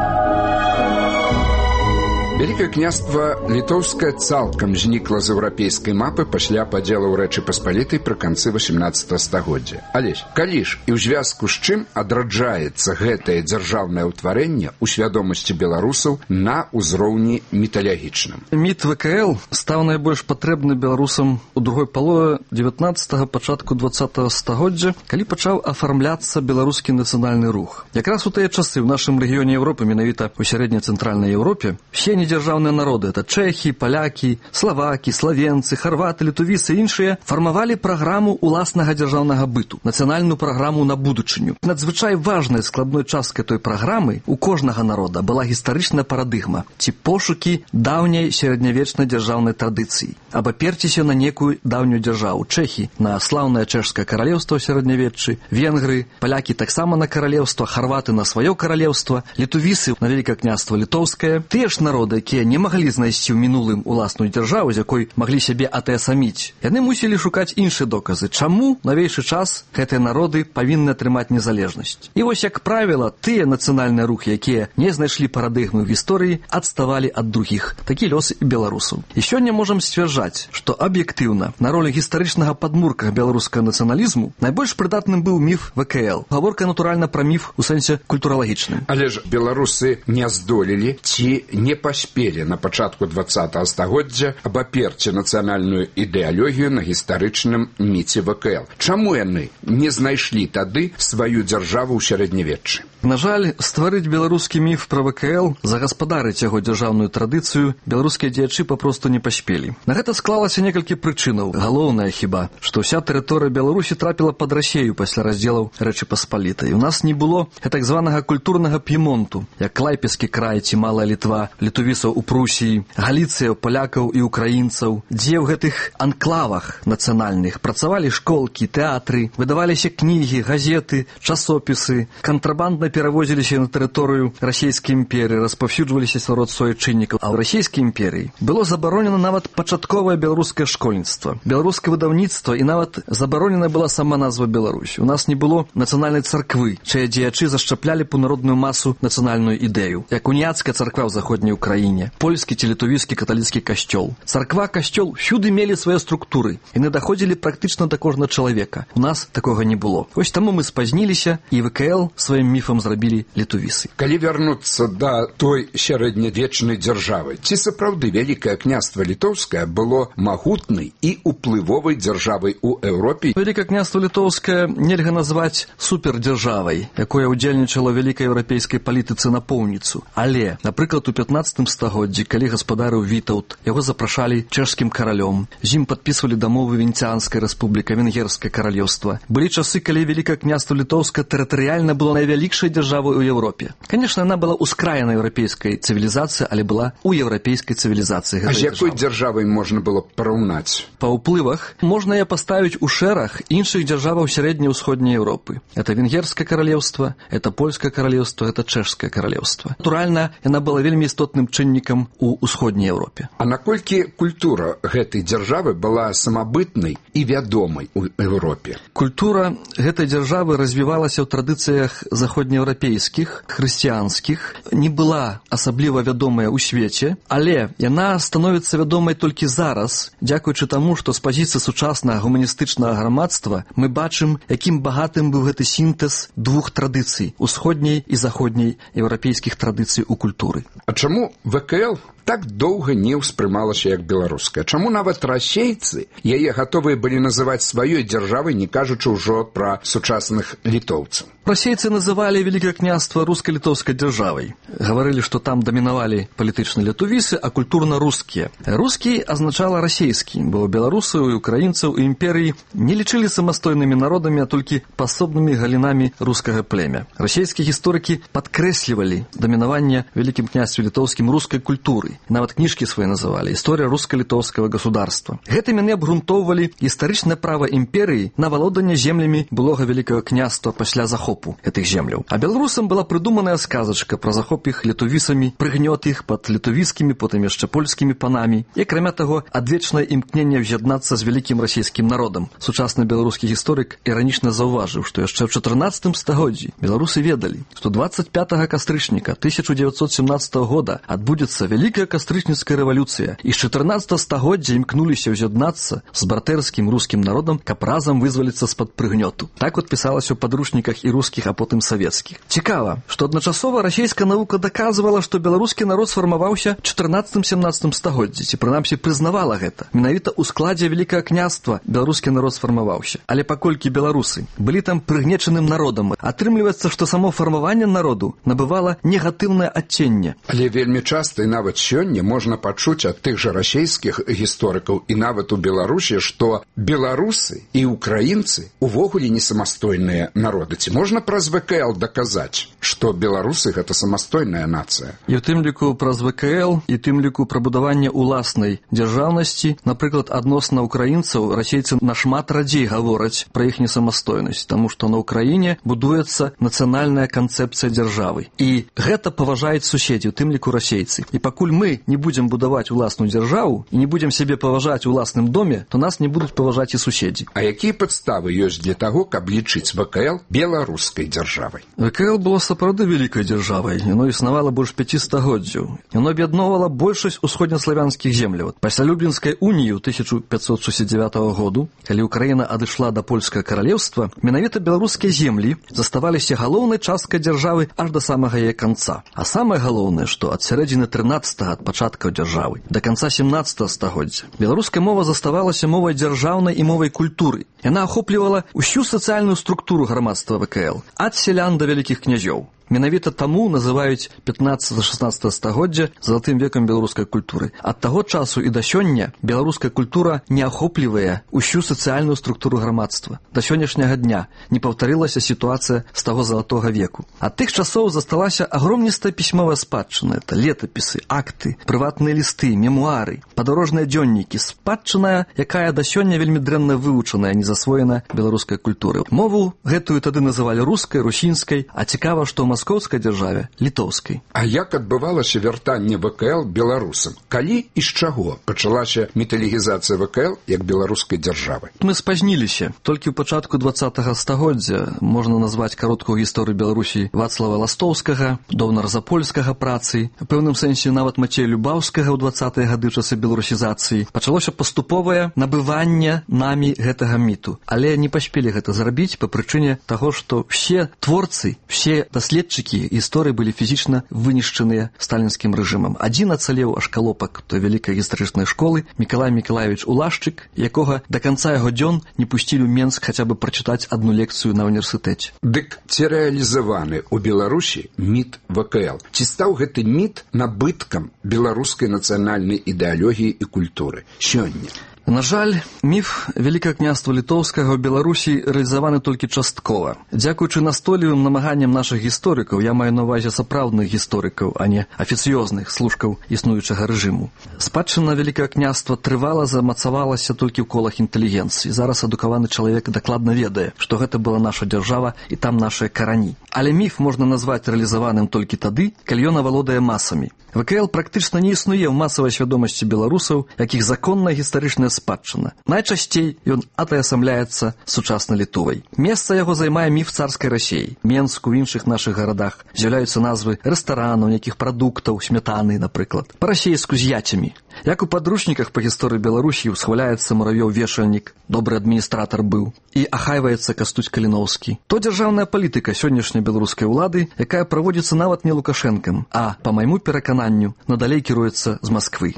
Вялікае княства літоўскае цалкам знікла з еўрапейскай мапы пасля падзелу Рэчы Паспалітай пры канцы 18 стагоддзя. Але калі ж і ў звязку з чым адраджаецца гэтае дзяржаўнае ўтварэнне ў свядомасці беларусаў на ўзроўні міталагічным?
Міт ВКЛ стаў найбольш патрэбны беларусам у другой палове 19-го, пачатку 20-го стагоддзя, калі пачаў афармляцца беларускі нацыянальны рух. Якраз у тыя часы ў нашым рэгіёне Еўропы, менавіта ў сярэдне-цэнтральнай Еўропе, все недзяржаўныя народы, это чэхі, палякі, славакі, славенцы, харваты, літувіцы і іншыя, фармавалі праграму уласнага дзяржаўнага быту, нацыянальную праграму на будучыню. Надзвычай важнай складной часткай той праграмы у кожнага народа была гістарычная парадыгма, ці пошукі даўняй сярэднявечнай дзяржаўнай традыцыі, абаперціся на некую даўнюю дзяржаву. Чэхі на слаўнае чэшскае каралеўства ў сярэднявеччы, венгры, палякі таксама на каралеўства, харваты на сваё каралеўства, літувіцы на Вялікае княства літоўскае. Тыя ж народы, якія не маглі знайсці ў мінулым уласную дзяржаву, з якой маглі сябе атаясаміць, яны мусілі шукаць іншыя доказы, чаму навейшы час гэтыя народы павінны атрымаць незалежнасць. І вось, як правіла, тыя нацыянальныя рухі, якія не знайшлі парадыгмы ў гісторыі, адставалі ад другіх. Такі лёс і беларусаў. І сёння можам сцвярджаць, што аб'ектыўна на ролі гістарычнага падмурка беларускага нацыяналізму найбольш прыдатным быў міф ВКЛ. Гаворка, натуральна, пра міф у сэнсе культуралагічным.
Але ж беларусы не здолелі ці не паспелі на пачатку 20-го стагоддзя абаперці нацыянальную ідэалогію на гістарычным міце ВКЛ. Чаму яны не знайшлі тады сваю дзяржаву ў сярэднявеччы?
На жаль, стварыць беларускі міф пра ВКЛ, загаспадарыць яго дзяржаўную традыцыю беларускія дзеячы папросту не паспелі. На гэта склалася некалькі прычынаў. Галоўнае хіба, што ўся тэрыторыя Беларусі трапіла пад Расею пасля раздзелаў Рэчы Паспалітай. У нас не было так званага культурнага п'емонту, як Клайпецкі край ці Малая Літва, літувісаў у Прусіі, Галіцыя, палякаў і украінцаў, дзе ў гэтых анклавах нацыянальных працавалі школкі, тэатры, выдаваліся кнігі, газеты, часопісы, кантрабандна перавозіліся на тэрыторыю расійскай імперыі, распаўсюджваліся сярод суайчыннікаў. А ў расійскай імперыі было забаронена нават пачатковае беларускае школьніцтва, беларускае выдаўніцтва і нават забаронена была сама назва Беларусь. У нас не было нацыянальнай царквы, чыя дзеячы зашчаплялі б у народную масу нацыянальную ідэю, як уніяцкая царква ў заходняй Украіне, польскі ці літувійскі каталіцкі касцёл. Царква, касцёл всюды мелі свае структуры, яны даходзілі практычна да кожнага чалавека. У нас такога не было. Вось таму мы спазніліся, і ВКЛ сваім міфам зрабілі літувісы.
Калі вярнуцца да той сярэднявечнай дзяржавы, ці сапраўды Вялікае княства літоўскае было магутнай і уплывовай дзяржавай у Еўропе?
Вялікае княства літоўскае нельга назваць супердзяржавай, якое ўдзельнічала вялікай еўрапейскай палітыцы на поўніцу. Але, напрыклад, у 15 стагоддзі, калі гаспадарыў Вітаўт, яго запрашалі чэшскім каралём, з ім падпісвалі дамовы Венецианская рэспубліка, Венгерскае каралеўства. Былі часы, калі Вялікае княства літоўскае тэрытарыяльна было найвялікшай дзяржавай у Еўропе. Канешне, яна была ўскраена еўрапейскай цывілізацыі, але была ў еўрапейскай цывілізацыі.
А з якой дзяржавай можна было параўнаць?
Па ўплывах можна яе паставіць у шэраг іншых дзяржаваў сярэдняй ўсходняй Еўропы. Это Венгерскае каралеўства, это Польскае каралеўства, это Чэшскае каралеўства. Натуральна, яна была вельмі істотным чыннікам у ўсходняй Еўропе.
А наколькі культура гэтай дзяржавы была самабытнай і вядомай у Еўропе?
Культура гэтай дзяржавы развівалася ў традыцыях заходнееўрапейскіх, хрысціянскіх, не была асабліва вядомая ў свеце, але яна становіцца вядомай толькі зараз, дзякуючы таму, што з пазіцыі сучаснага гуманістычнага грамадства мы бачым, якім багатым быў гэты сінтэз двух традыцый, усходняй і заходняй еўрапейскіх традыцый у культуры.
А чаму ВКЛ так доўга не ўспрымалася як беларуская? Чаму нават расейцы яе гатовыя былі называць сваёй дзяржавай, не кажучы ўжо пра сучасных літоўцаў?
Расейцы называлі Вялікае княства руска-літоўскай дзяржавай. Гаварылі, што там дамінавалі палітычныя літувісы, а культурна рускія. Рускі азначала расейскі, бо беларусаў і украінцаў і імперыі не лічылі самастойнымі народамі, а толькі пасобнымі галінамі рускага племя. Расейскія гісторыкі падкрэслівалі дамінаванне Вялікім княстве літоўскім рускай культуры. называли. Нават книжки свои называли «История русско-литовского государства». Гэтым яны абгрунтоўвалі гістарычнае права імперыі на валоданне землямі былога вялікага княства пасля захопу гэтых земляў. А беларусам была прыдуманая сказачка пра захоп іх літувісамі, прыгнёт іх пад літувіцкімі, потым яшчэ польскімі панамі. І, акрамя таго, адвечнае імкненне ўз'яднацца з вялікім расійскім народам. Сучасны беларускі гісторык іранічна заўважыў, што яшчэ ў 14 стагоддзі беларусы ведалі, што 25 кастрычніка 1917 года адбудзецца вялікая кастрычніцкая рэвалюцыя, і з 14 стагоддзя імкнуліся ўз'яднацца з бартэрскім рускім народам, каб разам вызваліцца з-пад прыгнёту. Так от пісалася ў падручніках і рускіх, а потым савецкіх. Цікава, што адначасова расійская навука даказвала, што беларускі народ сфармаваўся ў 14-17 стагоддзі, ці прынамсі прызнавала гэта. Менавіта ў складзе вялікага княства беларускі народ сфармаваўся. Але паколькі беларусы былі там прыгнечаным народам, атрымліваецца, што само фармаванне народу набывала негатыўнае адценне.
Але вельмі часта і нават сёння можна пачуць ад тых жа расійскіх гісторыкаў і нават у Беларусі, што беларусы і украінцы увогуле не самастойныя народы. Ці можна праз ВКЛ даказаць, што беларусы гэта самастойная нацыя?
І ў тым ліку праз ВКЛ, і тым ліку пра будаванне уласнай дзяржаўнасці, напрыклад, адносна украінцаў расейцы нашмат радзей гавораць пра іх несамастойнасць, таму што на Ўкраіне будуецца нацыянальная канцэпцыя дзяржавы. І гэта паважаюць суседзі, у тым ліку расейцы. І пакуль мы не будзем будаваць уласную дзяржаву і не будзем сябе паважаць у ўласным доме, то нас не будуць паважаць і суседзі.
А якія падставы ёсць для таго, каб лічыць ВКЛ беларускай дзяржавай?
ВКЛ было сапраўды вялікай дзяржавай. Яно існавала больш 5 стагоддзяў. Яно аб'ядноўвала большасць усходнеславянскіх земляў. Пасля Люблінскай уніі ў 1569 году, калі Украіна адышла да польскага каралеўства, менавіта беларускія землі заставаліся галоўнай часткай дзяржавы аж да самага яе канца. А самае галоўнае, што ад сярэдзіны 13-га, ад пачаткаў дзяржавы, да канца 17 стагоддзя, беларуская мова заставалася мовай дзяржаўнай і мовай культуры. Яна ахоплівала ўсю сацыяльную структуру грамадства ВКЛ, ад сялян да вялікіх князёў. Менавіта таму называюць 15-16 стагоддзя залатым векам беларускай культуры. Ад таго часу і да сёння беларуская культура не ахоплівае ўсю сацыяльную структуру грамадства. Да сённяшняга дня не паўтарылася сітуацыя з таго залатога веку. Ад тых часоў засталася агромністая пісьмовая спадчына. Это летапісы, акты, прыватныя лісты, мемуары, падарожныя дзённікі, спадчына, якая да сёння вельмі дрэнна вывучаная, не засвоена беларускай культуры. Мову гэтую тады называлі рускай, русінскай, а цікава, што ў маскоўскай дзяржаве літоўскай.
А як адбывалася вяртанне ВКЛ беларусам? Калі і з чаго пачалася міталігізацыя ВКЛ як беларускай дзяржавы?
Мы спазніліся. Толькі ў пачатку 20-го стагоддзя можна назваць кароткую гісторыю Беларусі Вацлава Ластоўскага, Довнар-Запольскага працы, у пэўным сэнсе нават Мацея Любаўскага ў 20-е гады часы беларусізацыі. Пачалося паступовае набыванне намі гэтага міту. Але не паспелі гэта зрабіць па прычыне таго, што все творцы, все даследчыкі гісторыі былі фізічна вынішчаныя сталінскім рэжымам. Адзін ацалеў ашкалопак той вялікай гістарычнай школы Мікалай Мікалаевіч Улашчык, якога да канца яго дзён не пусцілі ў Менск хаця бы прачытаць адну лекцыю на універсітэце.
Дык ці рэалізаваны ў Беларусі міт ВКЛ? Ці стаў гэты міт набыткам беларускай нацыянальнай ідэалогіі і культуры сёння?
На жаль, міф Вялікага княства Літоўскага ў Беларусі рэалізаваны толькі часткова. Дзякуючы настойлівым намаганням нашых гісторыкаў, я маю на ўвазе сапраўдных гісторыкаў, а не афіцыёзных служкаў існуючага рэжыму. Спадчына Вялікага княства трывала замацавалася толькі ў колах інтэлігенцыі. Зараз адукаваны чалавек дакладна ведае, што гэта была наша дзяржава і там нашыя карані. Але міф можна назваць рэалізаваным толькі тады, калі ён авалодае масамі. ВКЛ практычна не існуе ў масавай свядомасці беларусаў, якіх законная гістарычная спадчына. Найчасцей ён атаясамляецца сучаснай Літовай. Месца яго займае міф царскай Расіі. Менску, ў іншых нашых гарадах з'яўляюцца назвы рэстаранаў, нейкіх прадуктаў, смятаны, напрыклад. Па-расейску з яцямі. Як у падручніках па гісторыі Беларусі ўсхваляецца Муравёў-Вешальнік, добры адміністратар быў, і ахайваецца Кастуць Каліноўскі. То дзяржаўная палітыка сённяшняй беларускай улады, якая праводзіцца нават не Лукашэнкам, а, па майму перакананню, надалей кіруецца з Масквы.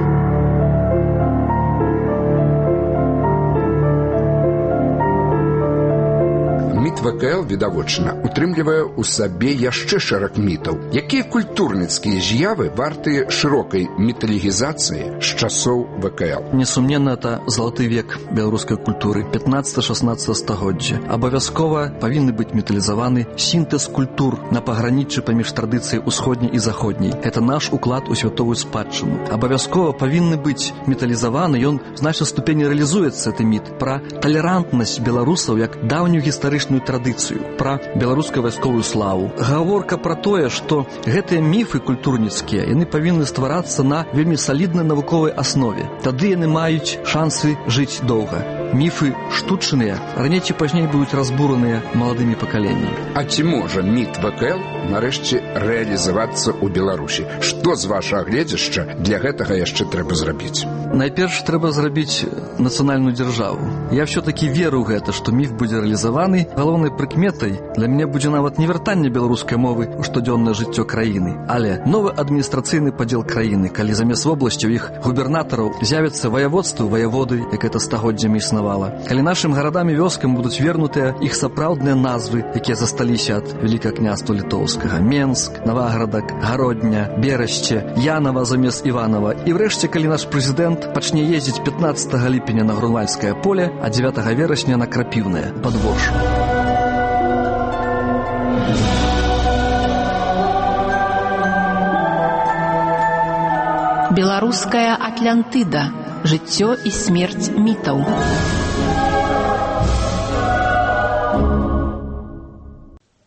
Міт ВКЛ, відавочна, утрымлівае ў сабе яшчэ шэраг мітаў. Якія культурніцкія з'явы вартыя шырокай міталогізацыі з часоў ВКЛ?
Несумненно, это золоты век беларускай культуры, 15-16 стагоддзя. Абавязкова павінны быць міталізаваны сінтэз культур на паграніччы паміж традыцыяй усходняй і заходняй. Это наш уклад у святовую спадчыну. Абавязкова павінны быць міталізаваны, ён в значнай ступені рэалізуецца, гэты міт, пра талерантнасць беларусаў як даўнюю гістарычную традыцыю, пра беларускую вайсковую славу. Гаворка пра тое, што гэтыя міфы культурніцкія, яны павінны стварацца на вельмі саліднай навуковай аснове. Тады яны маюць шансы жыць доўга. Міфы штучныя, раней ці пазней будуць разбураныя маладымі пакаленнямі.
А ці можа міт ВКЛ нарэшце рэалізавацца ў Беларусі? Што з вашага гледзяшча для гэтага яшчэ трэба зрабіць?
Найперш трэба зрабіць нацыянальную дзяржаву. Я ўсё-такі веру ў гэта, што міф будзе рэалізаваны. Галоўнай прыкметай для мяне будзе нават не вяртанне беларускай мовы ў штодзённае жыццё краіны, але новы адміністрацыйны падзел краіны, калі замест вобласцяў іх губернатараў з'явяцца ваяводствы, ваяводы, як это стагоддзямі існавала. Калі нашым гарадам і вёскам будуць вернутыя іх сапраўдныя назвы, якія засталіся ад Вялікага княства літоўскага: Менск, Наваградак, Гародня, Берашце, Янава замест Іванова. І врэшце, калі наш прэзідэнт пачне ездзіць 15 ліпеня на Грунвальскае поле, а 9 верасня на Крапіўнае падвор'е.
Беларуская Атлантыда. Жыццё і смерць мітаў.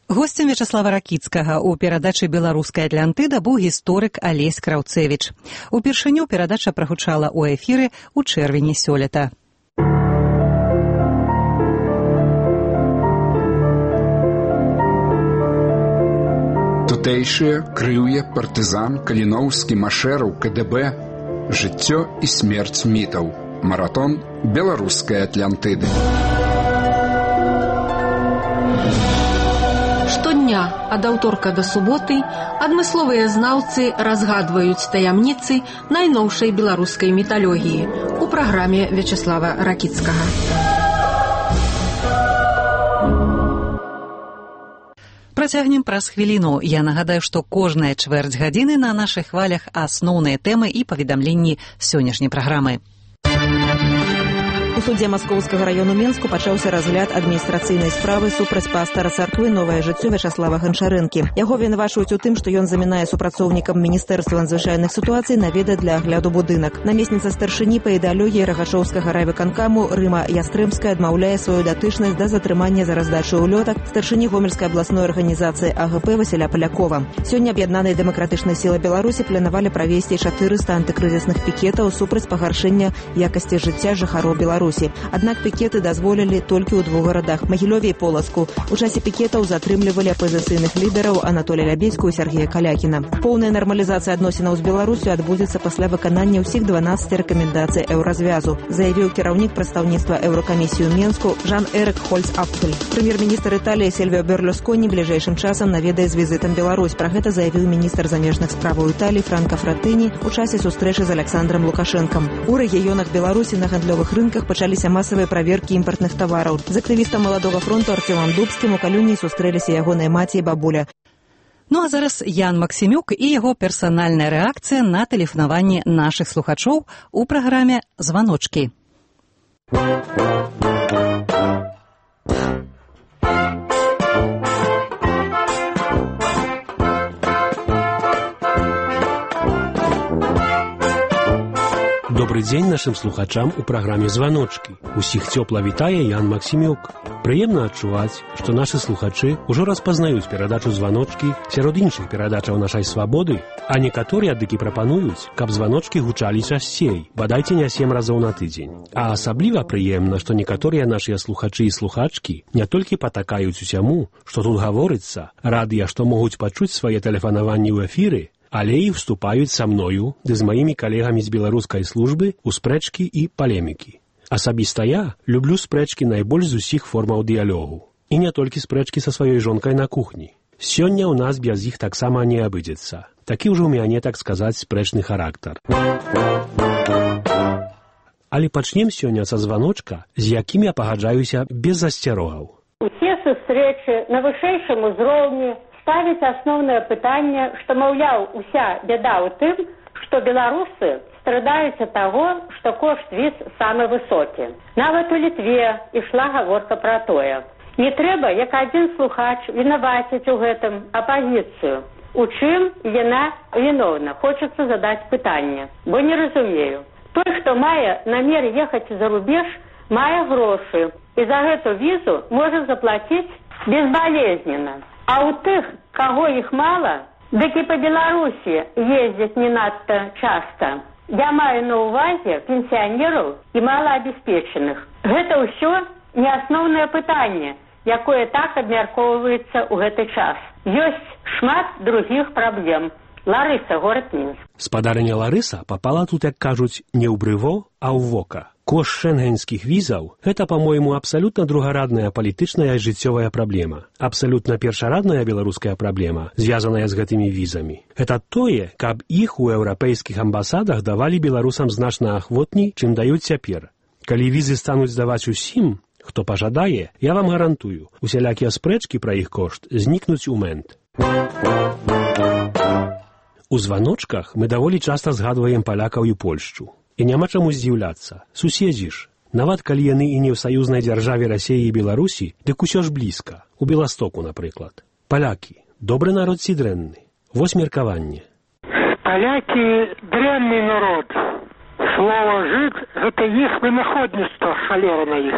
Госцем Вячаслава Ракіцкага ў перадачы «Беларуская Атлантыда» быў гісторык Алесь Краўцевіч. Упершыню перадача прагучала ў эфіры ў чэрвені сёлета.
Тутэйшыя, Крыўе, партызан, Каліноўскі, Машэраў, КДБ. Жыццё і смерць мітаў. Маратон беларускай Атлантыды.
Штодня ад аўторка да суботы адмысловыя знаўцы разгадваюць таямніцы найноўшай беларускай міталогіі у праграме Вячаслава Ракіцкага.
Працягнем праз хвіліну. Я нагадаю, што кожная чвэрць гадзіны на нашых хвалях асноўныя тэмы і паведамленні сённяшняй праграмы.
У судзе Маскоўскага району Менску пачаўся разгляд адміністрацыйнай справы супраць пастара царквы «Новае жыццё» Вячаслава Гончарэнкі. Яго вінавачваюць у тым, што ён замінае супрацоўнікам Міністэрства надзвычайных сітуацый наведаць для агляду будынак. Намесніца старшыні па ідэалогіі Рагачоўскага райвыканкаму Рыма Ястрэмская адмаўляе сваю датычнасць да затрымання за раздачу ўлётак старшыні Гомельскай абласной арганізацыі АГП Васіля Палякова. Сёння аб'яднаныя дэмакратычныя сілы Беларусі планавалі правесці 400 антыкрызісных пікетаў супраць пагаршэння якасці жыцця жыхароў Беларусі. Аднак пікеты дазволілі толькі ў 2 гарадах – Магілёве і Полацку. У часе пікетаў затрымлівалі апазіцыйных лідараў Анатолія Лябедзьку і Сергея Калякіна. Поўная нармалізацыя адносінаў з Беларусю адбудзецца пасля выканання ўсіх 12 рэкамендацый еўразвязу, заявіў кіраўнік прадстаўніцтва Еўракамісіі ў Менску Жан-Эрык Хольц-Апфель. Прэм'ер-міністр Італіі Сільвіо Берлусконі бліжэйшым часам наведае з візітам Беларусь. Пра гэта заявіў міністр замежных справаў Італіі Франка Фратэні у часе сустрэчы з Александром Лукашэнкам. У рэгіёнах Беларусі на гандлёвых рынках пачаліся масавыя праверкі імпартных тавараў. З актывістам Маладога фронту Артёмам Дубскім у Калюні сустрэліся ягоныя маці і бабуля.
Ну а зараз Ян Максімюк і яго персанальная рэакцыя на тэлефанаванне нашых слухачоў у праграме «Званочкі».
Добрый дзень нашым слухачам у праграме «Званочкі». Усіх цёпла вітае Ян Максімюк. Прыемна адчуваць, што нашы слухачы ўжо распазнаюць перадачу «Званочкі» сярод іншых перадачаў нашай свабоды, а некаторыя дыкі прапануюць, каб званочкі гучалі часцей, бадайце не 7 разоў на тыдзень. А асабліва прыемна, што некаторыя нашыя слухачы і слухачкі не толькі патакаюць усяму, што тут гаворыцца, радыя, што могуць пачуць свае тэлефанаванні ў эфіры, але і вступаюць са мною ды з маімі калегамі з беларускай службы ў спрэчкі і палемікі. Асабіста я люблю спрэчкі найбольш з усіх формаў дыялогу. І не толькі спрэчкі са сваёй жонкай на кухні. Сёння ў нас без іх таксама не абыдзецца. Такі ўжо ў мяне, так сказаць, спрэчны характар. Але пачнем сёння са званочка, з якім я пагаджаюся без засцярогаў.
Усе сустрэчы будучи на вышэйшым узроўні, ставіць асноўнае пытанне, што, маўляў, уся бяда ў тым, што беларусы страдаюць ад таго, што кошт віз самы высокі. Нават у Літве ішла гаворка пра тое. Не трэба, як адзін слухач, вінаваціць у гэтым апазіцыю. У чым яна віновна? Хочацца задаць пытанне, бо не разумею. Той, хто мае намер ехаць за рубеж, мае грошы, і за гэту візу можа заплаціць безбалезненна. А ў тых, каго іх мала, дык і па Беларусі ездзяць не надта часта. Я маю на ўвазе пенсіянераў і малаабеспечаных. Гэта ўсё не асноўнае пытанне, якое так абмяркоўваецца ў гэты час. Ёсць шмат другіх праблем. Ларыса, горад Мінск.
Спадарыня Ларыса попала тут, як кажуць, не ў брыво, а ў вока. Кошт шэнгенскіх візаў – гэта, па-мойму, абсалютна другарадная палітычная і жыццёвая праблема. Абсалютна першарадная беларуская праблема, звязаная з гэтымі візамі. Гэта тое, каб іх у еўрапейскіх амбасадах давалі беларусам значна ахвотней, чым даюць цяпер. Калі візы стануць здаваць усім, хто пажадае, я вам гарантую, усялякія спрэчкі пра іх кошт знікнуць у момент. У званочках мы даволі часта згадваем палякаў і Польшчу. І няма чаму здзіўляцца. Суседзі ж. Нават калі яны і не ў саюзнай дзяржаве Расіі і Беларусі, дык усё ж блізка. У Беластоку, напрыклад. Палякі. Добры народ ці дрэнны? Вось меркаванне.
Палякі дрэнны народ. Слова «жыд» – гэта іх вынаходніцтва, халера на іх.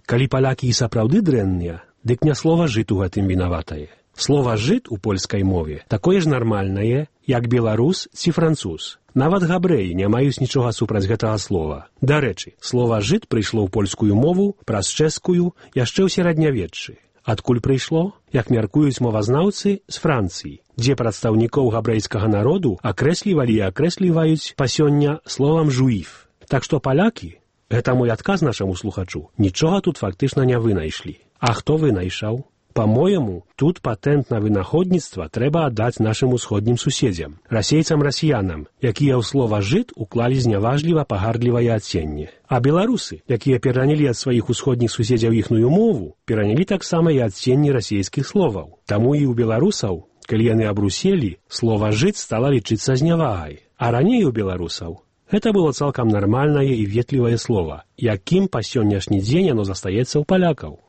Калі палякі і сапраўды дрэнныя, дык не слова «жыд» у гэтым вінаватае. Слова «жыд» у польскай мове такое ж нармальнае, як беларус ці француз. Нават габрэі не маюць нічога супраць гэтага слова. Дарэчы, слова «жыд» прыйшло ў польскую мову праз чэшскую яшчэ ў сярэднявеччы. Адкуль прыйшло? Як мяркуюць мовазнаўцы, з Францыі, дзе прадстаўнікоў габрэйскага народу акрэслівалі і акрэсліваюць па сёння словам «жуіф». Так што палякі, гэта мой адказ нашаму слухачу, нічога тут фактычна не вынайшлі. А хто вынайшаў? По-моему, тут патэнт на вынаходніцтва трэба аддаць нашым усходнім суседзям, расейцам-расіянам, якія ў слова «жыд» уклалі зняважліва пагардлівае адценне. А беларусы, якія перанялі ад сваіх усходніх суседзяў іхную мову, перанялі таксама і адценні расійскіх словаў. Таму і ў беларусаў, калі яны абруселі, слова «жыд» стала лічыцца знявагай. А раней у беларусаў гэта было цалкам нармальнае і ветлівае слова, якім па сённяшні дзень яно застаецца ў палякаў.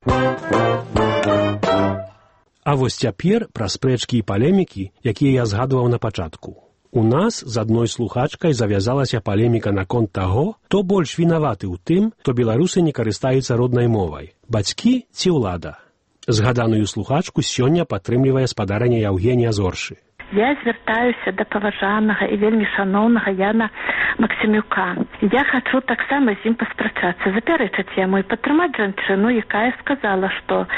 А вось цяпер пра спрэчкі і палемікі, якія я згадваў на пачатку. У нас з адной слухачкай завязалася палеміка наконт таго, хто больш вінаваты ў тым, што беларусы не карыстаюцца роднай мовай – бацькі ці ўлада. Згаданую слухачку сёння падтрымлівае спадарыня Яўгенія Зоршы.
Я звяртаюся да паважанага і вельмі шаноўнага Яна Максімюка. Я хачу таксама з ім паспрачацца, запярэчыць яму і падтрымаць жанчыну, якая сказала, што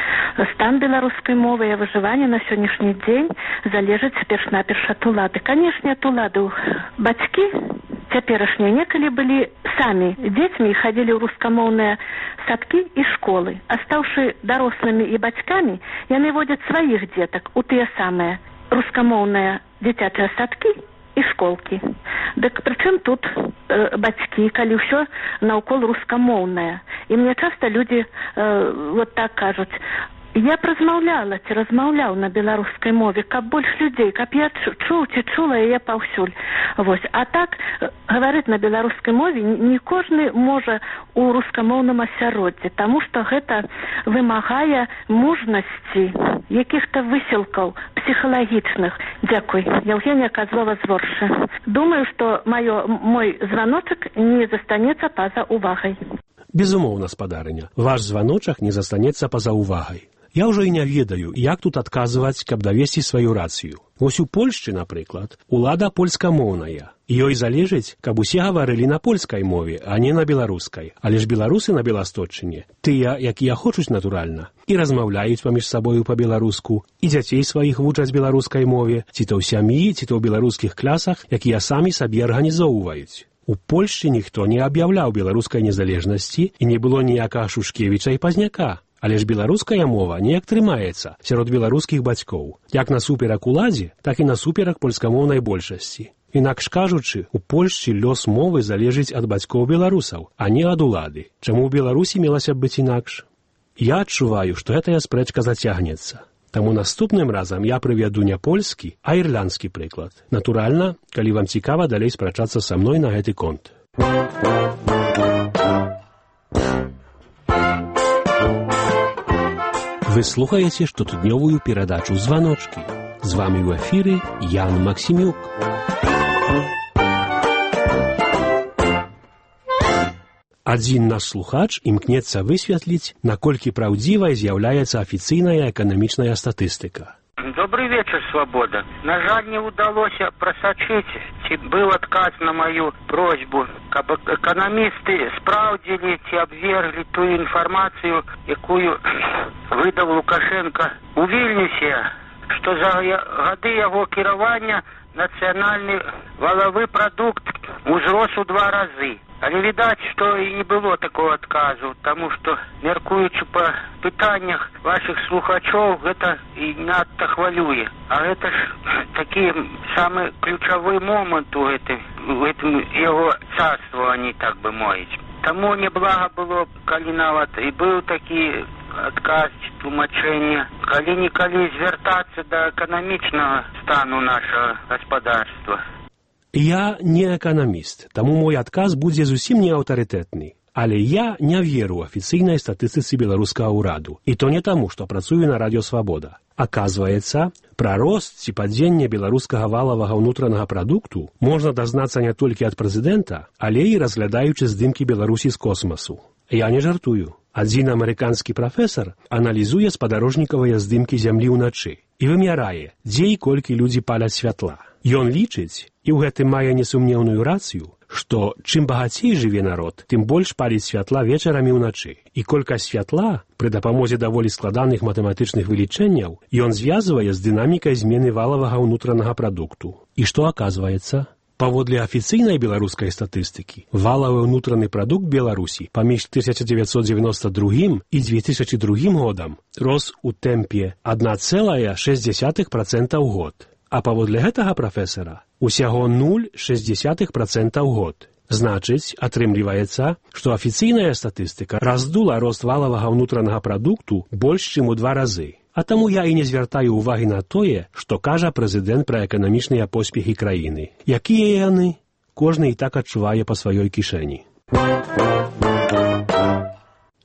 стан беларускай мовы і выжывання на сённяшні дзень залежыць перш-наперш ад улады. Канешне, ад улады. Бацькі цяперашнія некалі былі самі дзецьмі і хадзілі ў рускамоўныя садкі і школы. А стаўшы дарослымі і бацькамі, яны водзяць сваіх дзетак у тыя самыя рускамоўныя дзіцячыя садкі і школкі. Дык прычым тут бацькі, калі ўсё наўкол рускамоўнае. І мне часта людзі вот так кажуць, я размаўляла ці размаўляў на беларускай мове, каб больш людзей, каб я чуў ці чула яе паўсюль. Вось. А так гаварыць на беларускай мове не кожны можа ў рускамоўным асяроддзі, таму што гэта вымагае мужнасці, якіх-то высілкаў псіхалагічных. Дзякуй. Яўгенія Казлова з Воршы. Думаю, што мой званочак не застанецца па-за увагай.
Безумоўна, спадарыня, ваш званочак не застанецца па-за увагай. Я ўжо і не ведаю, як тут адказваць, каб давесці сваю рацыю. Вось у Польшчы, напрыклад, улада польскамоўная. Ёй залежыць, каб усе гаварылі на польскай мове, а не на беларускай. Але ж беларусы на Беласточчыне, тыя, якія хочуць натуральна, і размаўляюць паміж сабою па-беларуску, і дзяцей сваіх вучаць беларускай мове, ці то ў сям'і, ці то ў беларускіх класах, якія самі сабе арганізоўваюць. У Польшчы ніхто не аб'яўляў беларускай незалежнасці і не было ніякага Шушкевіча і Пазняка. Але ж беларуская мова неяк трымаецца сярод беларускіх бацькоў, як насуперак уладзе, так і насуперак польскамоўнай большасці. Інакш кажучы, у Польшчы лёс мовы залежыць ад бацькоў беларусаў, а не ад улады. Чаму ў Беларусі мелася б быць інакш? Я адчуваю, што гэтая спрэчка зацягнецца. Таму наступным разам я прывяду не польскі, а ірландскі прыклад. Натуральна, калі вам цікава далей спрачацца са мной на гэты конт. Вы слухаеце штотыднёвую перадачу «Званочкі». З вамі ў эфіры Ян Максімюк. Адзін наш слухач імкнецца высветліць, наколькі праўдзівай з'яўляецца афіцыйная эканамічная статыстыка.
Добрый вечер, Свобода. На жаль, не удалося просочить, ці был отказ на мою просьбу, каб экономисты справдзілі ці абвергли ту информацию, якую выдал Лукашенко у Вільнюсе, что за годы яго кіравання национальный валовый продукт узрос у 2 разы. Але відаць, што і не было такого адказу, таму што, мяркуючы па пытаннях вашых слухачоў, гэта і надта хвалюе. А гэта ж такі самы ключавы момант у гэтым яго царстваванні, так бы мовіць. Таму неблага было, калі нават і быў такі адказ ці тлумачэнне, калі-нікалі звяртацца да эканамічнага стану нашага гаспадарства.
Я не эканаміст, таму мой адказ будзе зусім не аўтарытэтны. Але я не веру афіцыйнай статыстыцы беларускага ўраду. І то не таму, што працую на радыё «Свабода». Аказваецца, пра рост ці падзенне беларускага валавага ўнутранага прадукту можна дазнацца не толькі ад прэзідэнта, але і разглядаючы здымкі Беларусі з космасу. Я не жартую. Адзін амерыканскі прафесар аналізуе спадарожнікавыя здымкі зямлі ўначы і вымярае, дзе і колькі людзі паляць святла. Ён лічыць, і ў гэтым мае несумнеўную рацыю, што чым багацей жыве народ, тым больш паліць святла вечарамі ўначы. І колькасць святла, пры дапамозе даволі складаных матэматычных вылічэнняў, ён звязвае з дынамікай змены валавага ўнутранага прадукту. І што аказваецца? Паводле афіцыйнай беларускай статыстыкі, валавы ўнутраны прадукт Беларусі паміж 1992 і 2002 годам рос у тэмпе 1,6% ў год. А паводле гэтага прафесара усяго 0,6% ў год. Значыць, атрымліваецца, што афіцыйная статыстыка раздула рост валавага ўнутранага прадукту больш, чым у 2 разы. А таму я і не звяртаю ўвагі на тое, што кажа прэзідэнт пра эканамічныя поспехі краіны. Якія яны? Кожны і так адчувае па сваёй кішэні.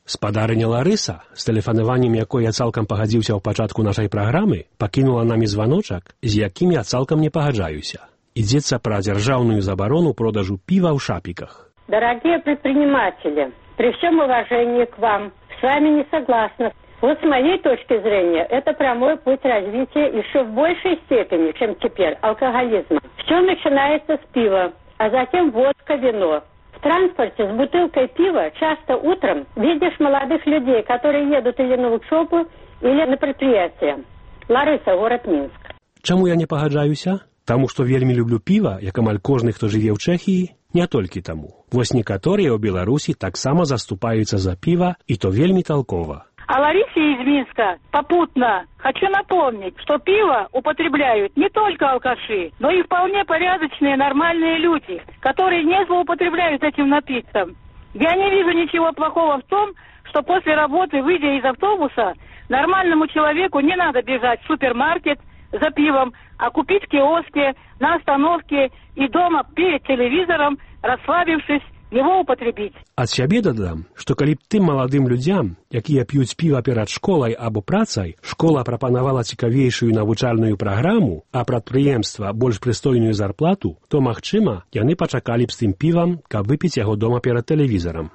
Спадарыня Ларыса, з тэлефанаваннем якой я цалкам пагадзіўся ў пачатку нашай праграмы, пакінула намі званочак, з якім я цалкам не пагаджаюся. Ідзецца пра дзяржаўную забарону продажу пива ў шапіках.
Дорогие предприниматели, при всем уважении к вам, с вами не согласна. Вот с моей точки зрения, это прямой путь развития еще в большей степени, чем теперь, алкоголизма. Все начинается с пива, а затем водка, вино. В транспорте с бутылкой пива часто утром видишь молодых людей, которые едут или на учебу, или на предприятие. Ларыса, город Минск.
Чаму я не пагаджаюся? Таму, што вельмі люблю піва, як амаль кожны, хто жыве ў Чэхіі, не толькі таму. Вось некаторыя ў Беларусі таксама заступаюцца за піва, і то вельмі толкова.
А Ларисе из Минска попутно хочу напомнить, что пиво употребляют не только алкаши, но и вполне порядочные нормальные люди, которые не злоупотребляют этим напитком. Я не вижу ничего плохого в том, что после работы, выйдя из автобуса, нормальному человеку не надо бежать в супермаркет за пивом, а купить в киоске, на остановке и дома перед телевизором, расслабившись, его употребіць.
Ад сябе дадам, што калі б тым маладым людзям, якія п'юць піва перад школай або працай, школа прапанавала цікавейшую навучальную праграму, а прадпрыемства больш прыстойную зарплату, то, магчыма, яны пачакалі б з тым півам, каб выпіць яго дома перад тэлевізарам.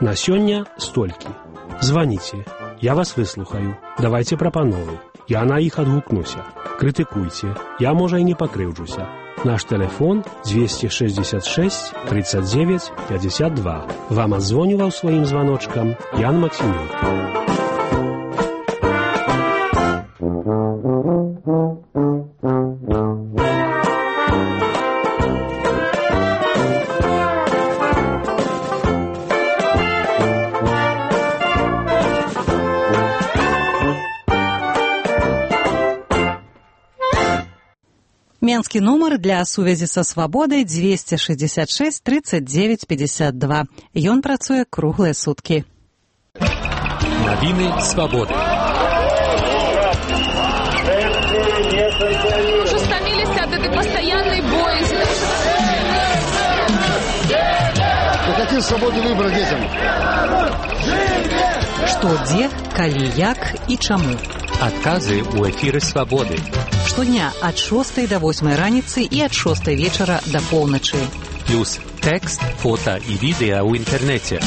На сёння столькі. Званіце. Я вас выслухаю. Давайце прапановы. Я на іх адгукнуся. Крытыкуйце. Я, можа, і не пакрыўджуся. Наш телефон 266 39 52. Вам адзвонюваў сваім званочкам Ян Максімюк.
Менскі нумар для сувязі са свабодай 266 39 52. Ён працуе круглыя суткі.
Навіны свабоды.
Уже стомились от этой постоянной боязни.
Какие свободы выбора детям?
Што, дзе, калі, як і чаму.
Адказы ў эфіры свабоды.
Штодня ад 6 до 8 раніцы і ад 6 вечара до поўначы.
Плюс тэкст, фота і відэа ў інтэрнэце.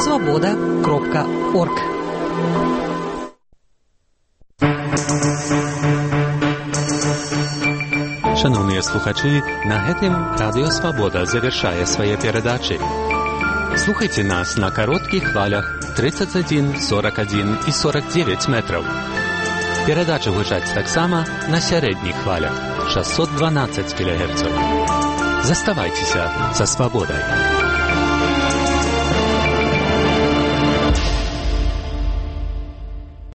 Свабода.орг.
Шановныя слухачы, на гэтым Радыё Свабода завяршае свае перадачы. Слухайце нас на кароткіх хвалях 31, 41 і 49 метраў. Перадачы гучаць таксама на сярэдніх хвалях 612 кГц. Заставайцеся са свабодай.